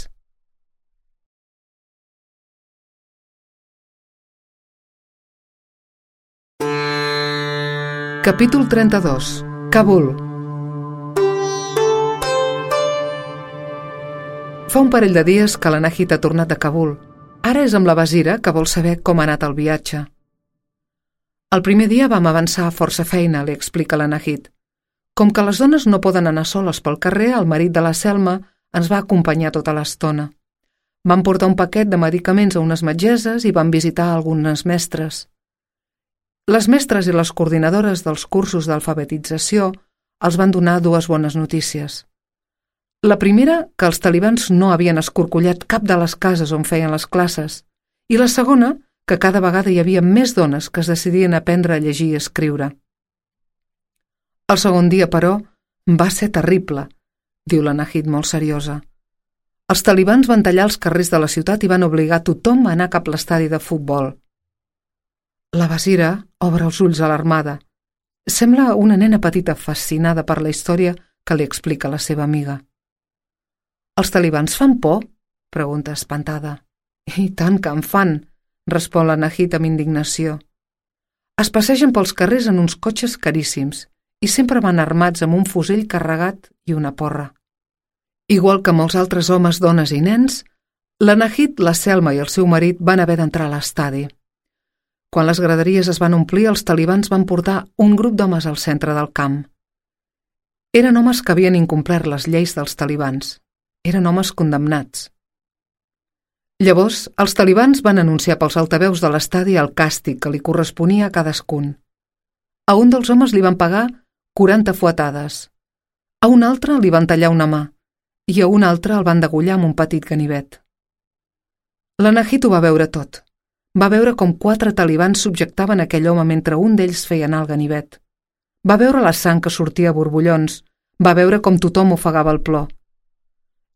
Capítol trenta-dos. Kabul. Fa un parell de dies que la Nahid ha tornat de Kabul. Ara és amb la Basira, que vol saber com ha anat el viatge. El primer dia vam avançar a força feina, li explica la Nahid. Com que les dones no poden anar soles pel carrer, el marit de la Selma ens va acompanyar tota l'estona. Vam portar un paquet de medicaments a unes metgesses i vam visitar algunes mestres. Les mestres i les coordinadores dels cursos d'alfabetització els van donar dues bones notícies. La primera, que els talibans no havien escorcollat cap de les cases on feien les classes, i la segona, que cada vegada hi havia més dones que es decidien a aprendre a llegir i escriure. El segon dia, però, va ser terrible, diu la Nahid molt seriosa. Els talibans van tallar els carrers de la ciutat i van obligar tothom a anar cap a l'estadi de futbol. La Basira obre els ulls alarmada. Sembla una nena petita fascinada per la història que li explica la seva amiga. Els talibans fan por? Pregunta espantada. I tant que en fan, respon la Nahid amb indignació. Es passegen pels carrers en uns cotxes caríssims i sempre van armats amb un fusell carregat i una porra. Igual que molts altres homes, dones i nens, la Nahid, la Selma i el seu marit van haver d'entrar a l'estadi. Quan les graderies es van omplir, els talibans van portar un grup d'homes al centre del camp. Eren homes que havien incomplert les lleis dels talibans. Eren homes condemnats. Llavors, els talibans van anunciar pels altaveus de l'estadi el càstig que li corresponia a cadascun. A un dels homes li van pagar quaranta fuetades. A un altre li van tallar una mà i a un altre el van degollar amb un petit ganivet. La Nahid ho va veure tot. Va veure com quatre talibans subjectaven aquell home mentre un d'ells feia anar el ganivet. Va veure la sang que sortia a borbollons. Va veure com tothom ofegava el plor.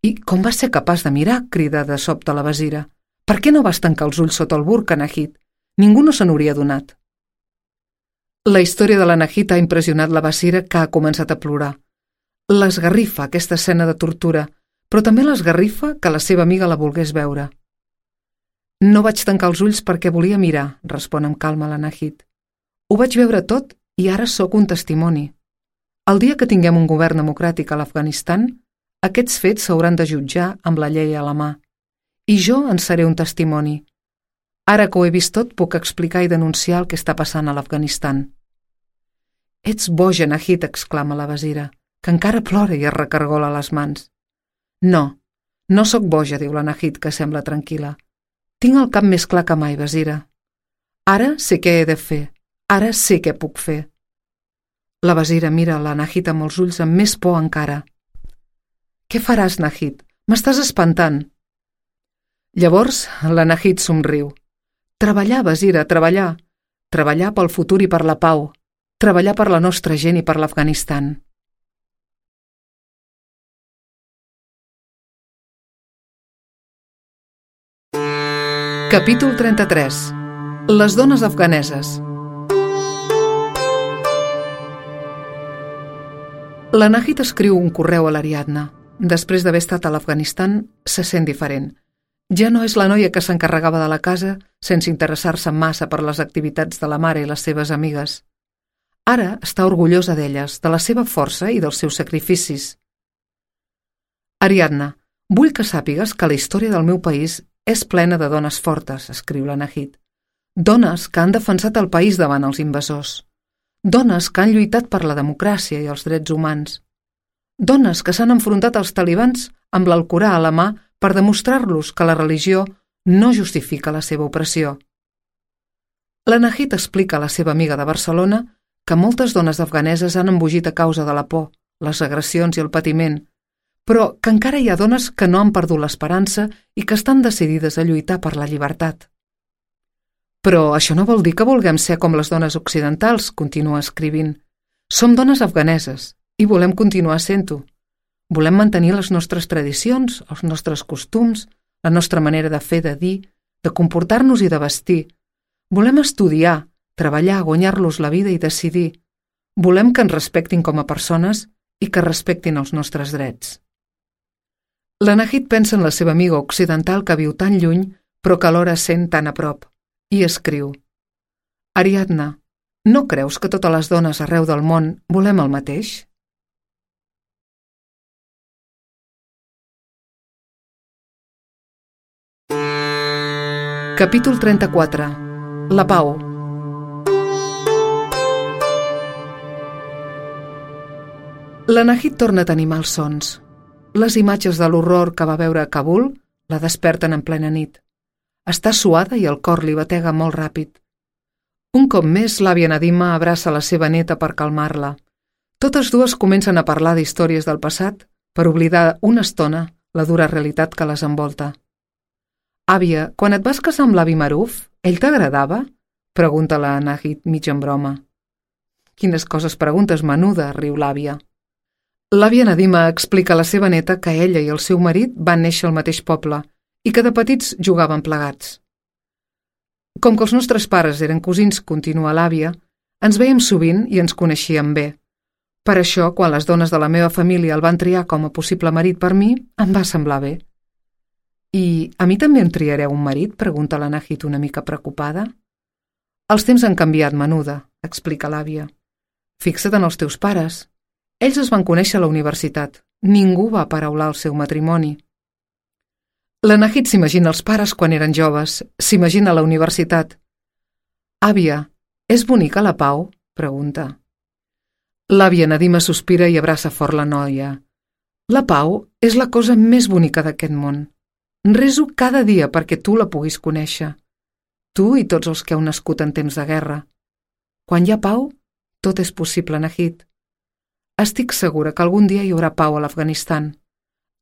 I com va ser capaç de mirar? Crida de sobte la Basira. Per què no vas tancar els ulls sota el burca, Nahid? Ningú no se n'hauria adonat. La història de la Nahid ha impressionat la Basira, que ha començat a plorar. L'esgarrifa aquesta escena de tortura, però també l'esgarrifa que la seva amiga la volgués veure. No vaig tancar els ulls perquè volia mirar, respon amb calma la Nahid. Ho vaig veure tot i ara sóc un testimoni. El dia que tinguem un govern democràtic a l'Afganistan, aquests fets s'hauran de jutjar amb la llei a la mà. I jo en seré un testimoni. Ara que ho he vist tot, puc explicar i denunciar el que està passant a l'Afganistan. Ets boja, Nahid, exclama la Basira, que encara plora i es recargola les mans. No, no sóc boja, diu la Nahid, que sembla tranquil·la. Tinc el cap més clar que mai, Basira. Ara sé què he de fer. Ara sé què puc fer. La Basira mira la Nahid amb els ulls amb més por encara. Què faràs, Nahid? M'estàs espantant. Llavors la Nahid somriu. Treballar, Basira, treballar. Treballar pel futur i per la pau. Treballar per la nostra gent i per l'Afganistan. Capítol trenta-tres. Les dones afganeses. La Nahid escriu un correu a l'Ariadna. Després d'haver estat a l'Afganistan, se sent diferent. Ja no és la noia que s'encarregava de la casa sense interessar-se massa per les activitats de la mare i les seves amigues. Ara està orgullosa d'elles, de la seva força i dels seus sacrificis. Ariadna, vull que sàpigues que la història del meu país és plena de dones fortes, escriu la Nahid. Dones que han defensat el país davant els invasors. Dones que han lluitat per la democràcia i els drets humans. Dones que s'han enfrontat als talibans amb l'Alcorà a la mà per demostrar-los que la religió no justifica la seva opressió. La Nahid explica a la seva amiga de Barcelona que moltes dones afganeses han embogit a causa de la por, les agressions i el patiment, però que encara hi ha dones que no han perdut l'esperança i que estan decidides a lluitar per la llibertat. Però això no vol dir que vulguem ser com les dones occidentals, continua escrivint. Som dones afganeses i volem continuar sent-ho. Volem mantenir les nostres tradicions, els nostres costums, la nostra manera de fer, de dir, de comportar-nos i de vestir. Volem estudiar, treballar, guanyar-los la vida i decidir. Volem que ens respectin com a persones i que respectin els nostres drets. La Nahid pensa en la seva amiga occidental que viu tan lluny però que alhora sent tan a prop, i escriu: Ariadna, no creus que totes les dones arreu del món volem el mateix? Capítol trenta-quatre. La pau. La Nahid torna a tenir malsons. Les imatges de l'horror que va veure a Kabul la desperten en plena nit. Està suada i el cor li batega molt ràpid. Un cop més, l'àvia Nadima abraça la seva neta per calmar-la. Totes dues comencen a parlar d'històries del passat per oblidar una estona la dura realitat que les envolta. Àvia, quan et vas casar amb l'avi Maruf, ell t'agradava? Pregunta la Nahid mig en broma. Quines coses preguntes, menuda, riu l'àvia. L'àvia Nadima explica a la seva neta que ella i el seu marit van néixer al mateix poble i que de petits jugaven plegats. Com que els nostres pares eren cosins, continua l'àvia, ens vèiem sovint i ens coneixíem bé. Per això, quan les dones de la meva família el van triar com a possible marit per mi, em va semblar bé. I a mi també em triareu un marit? Pregunta la Nahid una mica preocupada. Els temps han canviat, menuda, explica l'àvia. Fixa't en els teus pares. Ells es van conèixer a la universitat. Ningú va paraular el seu matrimoni. La Nahid s'imagina els pares quan eren joves, s'imagina la universitat. Àvia, és bonica la pau? Pregunta. L'àvia Nadima sospira i abraça fort la noia. La pau és la cosa més bonica d'aquest món. Reso cada dia perquè tu la puguis conèixer. Tu i tots els que heu nascut en temps de guerra. Quan hi ha pau, tot és possible, Nahid. Estic segura que algun dia hi haurà pau a l'Afganistan.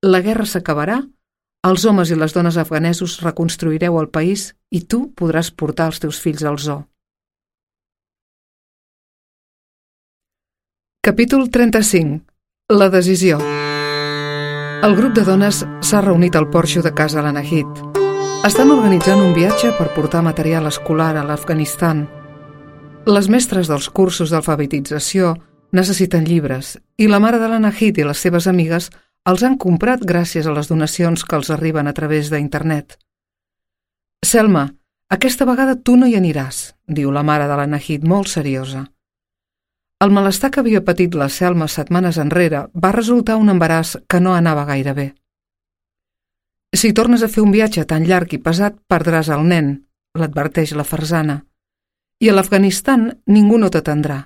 La guerra s'acabarà, els homes i les dones afganesos reconstruireu el país i tu podràs portar els teus fills al zoo. Capítol trenta-cinc. La decisió. El grup de dones s'ha reunit al porxo de casa la Nahid. Estan organitzant un viatge per portar material escolar a l'Afganistan. Les mestres dels cursos d'alfabetització Necessiten llibres, i la mare de la Nahid i les seves amigues els han comprat gràcies a les donacions que els arriben a través d'internet. «Selma, aquesta vegada tu no hi aniràs», diu la mare de la Nahid molt seriosa. El malestar que havia patit la Selma setmanes enrere va resultar un embaràs que no anava gaire bé. «Si tornes a fer un viatge tan llarg i pesat, perdràs el nen», l'adverteix la Farzana. «I a l'Afganistan ningú no t'atendrà.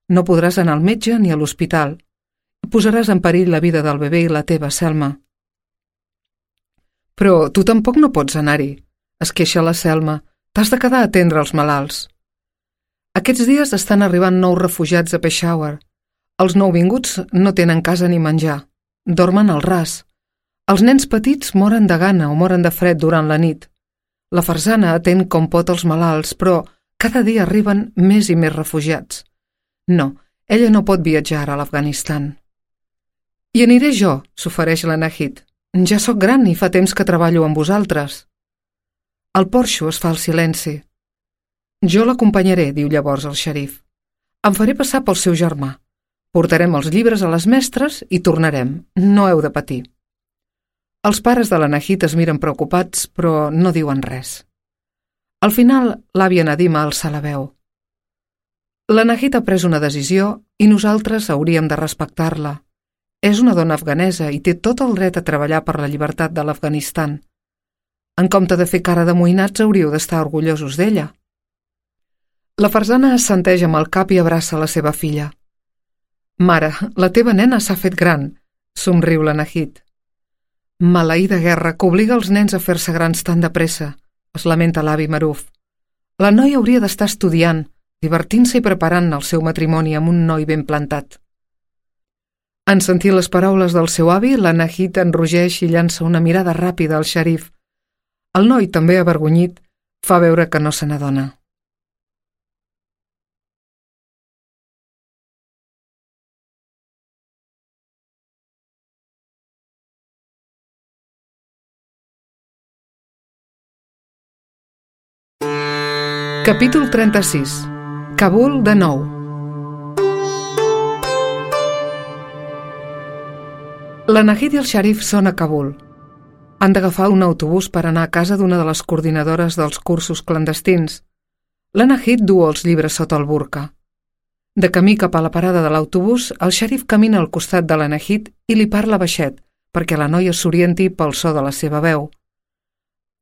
No podràs anar al metge ni a l'hospital. Posaràs en perill la vida del bebè i la teva, Selma». «Però tu tampoc no pots anar-hi», es queixa la Selma. «T'has de quedar a atendre els malalts». Aquests dies estan arribant nous refugiats a Peshawar. Els nouvinguts no tenen casa ni menjar. Dormen al ras. Els nens petits moren de gana o moren de fred durant la nit. La Farzana atén com pot els malalts, però cada dia arriben més i més refugiats. No, ella no pot viatjar a l'Afganistan. «Hi aniré jo», s'ofereix la Nahid. «Ja sóc gran i fa temps que treballo amb vosaltres». El porxo es fa el silenci. «Jo l'acompanyaré», diu llavors el xerif. «Em faré passar pel seu germà. Portarem els llibres a les mestres i tornarem. No heu de patir». Els pares de la Nahid es miren preocupats, però no diuen res. Al final, l'àvia Nadima alça la veu. «La Nahid ha pres una decisió i nosaltres hauríem de respectar-la. És una dona afganesa i té tot el dret a treballar per la llibertat de l'Afganistan. En compte de fer cara d'amoïnats, hauríeu d'estar orgullosos d'ella». La Farzana assenteix amb el cap i abraça la seva filla. «Mare, la teva nena s'ha fet gran», somriu la Nahid. «Maleïda guerra que obliga els nens a fer-se grans tan de pressa», es lamenta l'avi Maruf. «La noia hauria d'estar estudiant, divertint-se i preparant el seu matrimoni amb un noi ben plantat». En sentir les paraules del seu avi, la Nahid enrogeix i llança una mirada ràpida al xerif. El noi, també avergonyit, fa veure que no se n'adona. Capítol trenta-sis. Kabul de nou. La Nahid i el xerif són a Kabul. Han d'agafar un autobús per anar a casa d'una de les coordinadores dels cursos clandestins. La Nahid duu els llibres sota el burca. De camí cap a la parada de l'autobús, el xerif camina al costat de la Nahid i li parla baixet, perquè la noia s'orienti pel so de la seva veu.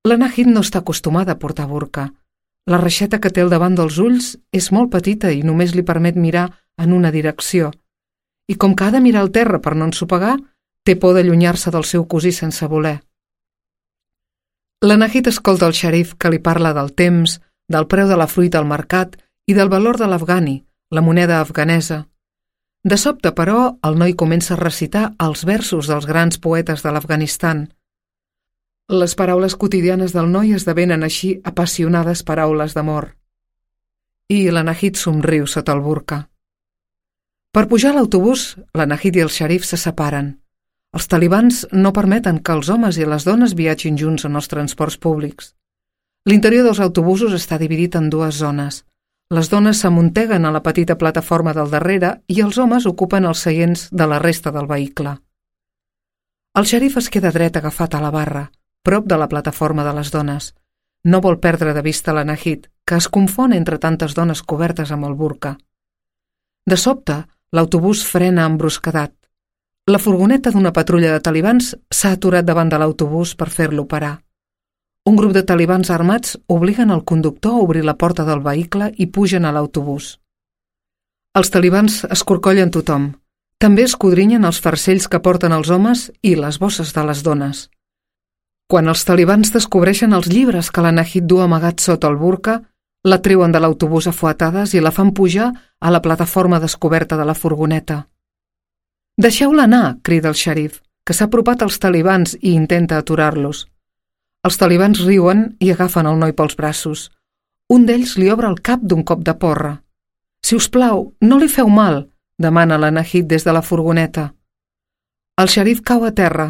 La Nahid no està acostumada a portar burca. La reixeta que té al davant dels ulls és molt petita i només li permet mirar en una direcció. I com que ha de mirar al terra per no ensopegar, té por d'allunyar-se del seu cosí sense voler. La Nahid escolta el xerif que li parla del temps, del preu de la fruita al mercat i del valor de l'afgani, la moneda afganesa. De sobte, però, el noi comença a recitar els versos dels grans poetes de l'Afganistan. Les paraules quotidianes del noi esdevenen així apassionades paraules d'amor. I la Nahid somriu sota el burca. Per pujar a l'autobús, la Nahid i el xerif se separen. Els talibans no permeten que els homes i les dones viatgin junts en els transports públics. L'interior dels autobusos està dividit en dues zones. Les dones s'amunteguen a la petita plataforma del darrere i els homes ocupen els seients de la resta del vehicle. El xerif es queda dret agafat a la barra, prop de la plataforma de les dones. No vol perdre de vista la Nahid, que es confon entre tantes dones cobertes amb el burca. De sobte, l'autobús frena amb brusquedat. La furgoneta d'una patrulla de talibans s'ha aturat davant de l'autobús per fer-lo parar. Un grup de talibans armats obliguen el conductor a obrir la porta del vehicle i pugen a l'autobús. Els talibans escorcollen tothom. També escodrinyen els farcells que porten els homes i les bosses de les dones. Quan els talibans descobreixen els llibres que la Nahid du amagats sota el burca, la treuen de l'autobús a fuetades i la fan pujar a la plataforma descoberta de la furgoneta. «Deixeu-la anar», crida el xerif, que s'ha apropat als talibans i intenta aturar-los. Els talibans riuen i agafen el noi pels braços. Un d'ells li obre el cap d'un cop de porra. «Si us plau, no li feu mal», demana la Nahid des de la furgoneta. El xerif cau a terra.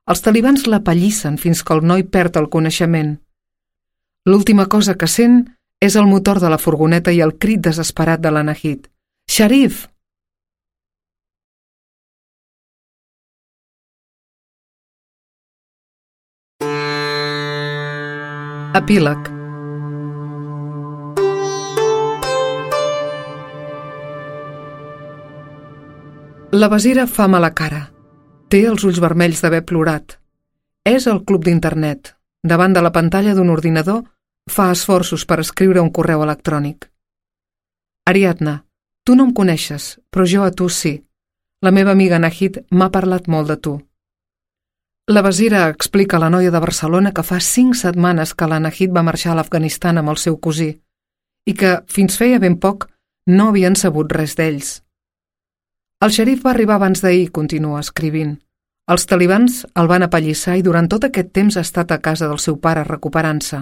Els talibans la pallissen fins que el noi perd el coneixement. L'última cosa que sent és el motor de la furgoneta i el crit desesperat de la Nahid. «Xerif!» Epíleg. La Basira fa mala cara. Té els ulls vermells d'haver plorat. És al club d'internet. Davant de la pantalla d'un ordinador, fa esforços per escriure un correu electrònic. Ariadna, tu no em coneixes, però jo a tu sí. La meva amiga Nahid m'ha parlat molt de tu. La Basira explica a la noia de Barcelona que fa cinc setmanes que la Nahid va marxar a l'Afganistan amb el seu cosí i que, fins feia ben poc, no havien sabut res d'ells. El xerif va arribar abans d'ahir, continua escrivint. Els talibans el van apallissar i durant tot aquest temps ha estat a casa del seu pare recuperant-se.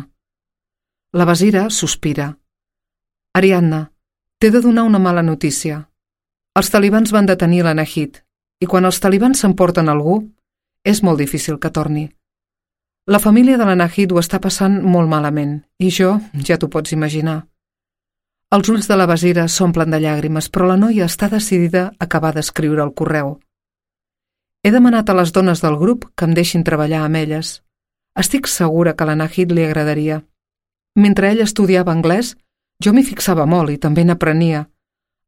La Basira sospira. Ariadna, t'he de donar una mala notícia. Els talibans van detenir la Nahid i quan els talibans s'emporten algú, és molt difícil que torni. La família de la Nahid ho està passant molt malament i jo, ja t'ho pots imaginar. Els ulls de la Basira s'omplen de llàgrimes, però la noia està decidida a acabar d'escriure el correu. He demanat a les dones del grup que em deixin treballar amb elles. Estic segura que a la Nahid li agradaria. Mentre ell estudiava anglès, jo m'hi fixava molt i també n'aprenia.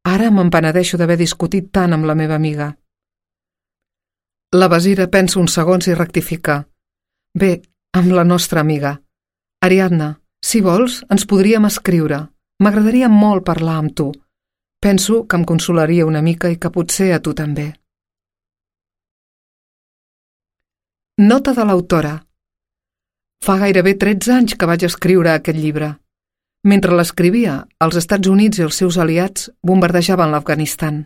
Ara me'n penedeixo d'haver discutit tant amb la meva amiga. La Basira pensa uns segons i rectifica. Bé, amb la nostra amiga. Ariadna, si vols, ens podríem escriure. M'agradaria molt parlar amb tu. Penso que em consolaria una mica i que potser a tu també. Nota de l'autora. Fa gairebé tretze anys que vaig escriure aquest llibre. Mentre l'escrivia, els Estats Units i els seus aliats bombardejaven l'Afganistan.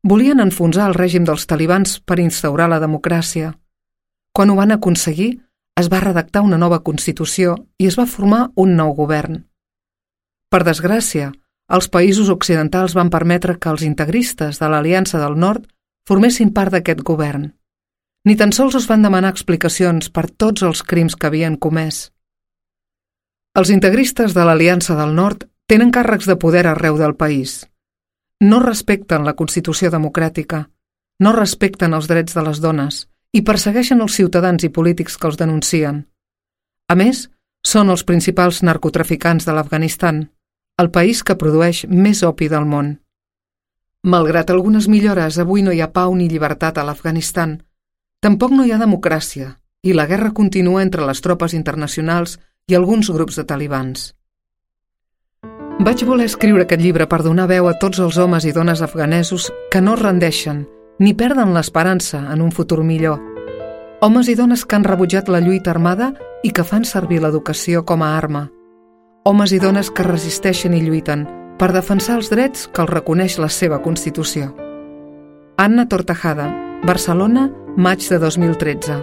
Volien enfonsar el règim dels talibans per instaurar la democràcia. Quan ho van aconseguir, es va redactar una nova Constitució i es va formar un nou govern. Per desgràcia, els països occidentals van permetre que els integristes de l'Aliança del Nord formessin part d'aquest govern. Ni tan sols es van demanar explicacions per tots els crims que havien comès. Els integristes de l'Aliança del Nord tenen càrrecs de poder arreu del país. No respecten la Constitució democràtica, no respecten els drets de les dones i persegueixen els ciutadans i polítics que els denuncien. A més, són els principals narcotraficants de l'Afganistan, el país que produeix més opi del món. Malgrat algunes millores, avui no hi ha pau ni llibertat a l'Afganistan. Tampoc no hi ha democràcia i la guerra continua entre les tropes internacionals i alguns grups de talibans. Vaig voler escriure aquest llibre per donar veu a tots els homes i dones afganesos que no es rendeixen ni perden l'esperança en un futur millor. Homes i dones que han rebutjat la lluita armada i que fan servir l'educació com a arma. Homes i dones que resisteixen i lluiten per defensar els drets que els reconeix la seva Constitució. Anna Tortajada, Barcelona, maig de dos mil tretze.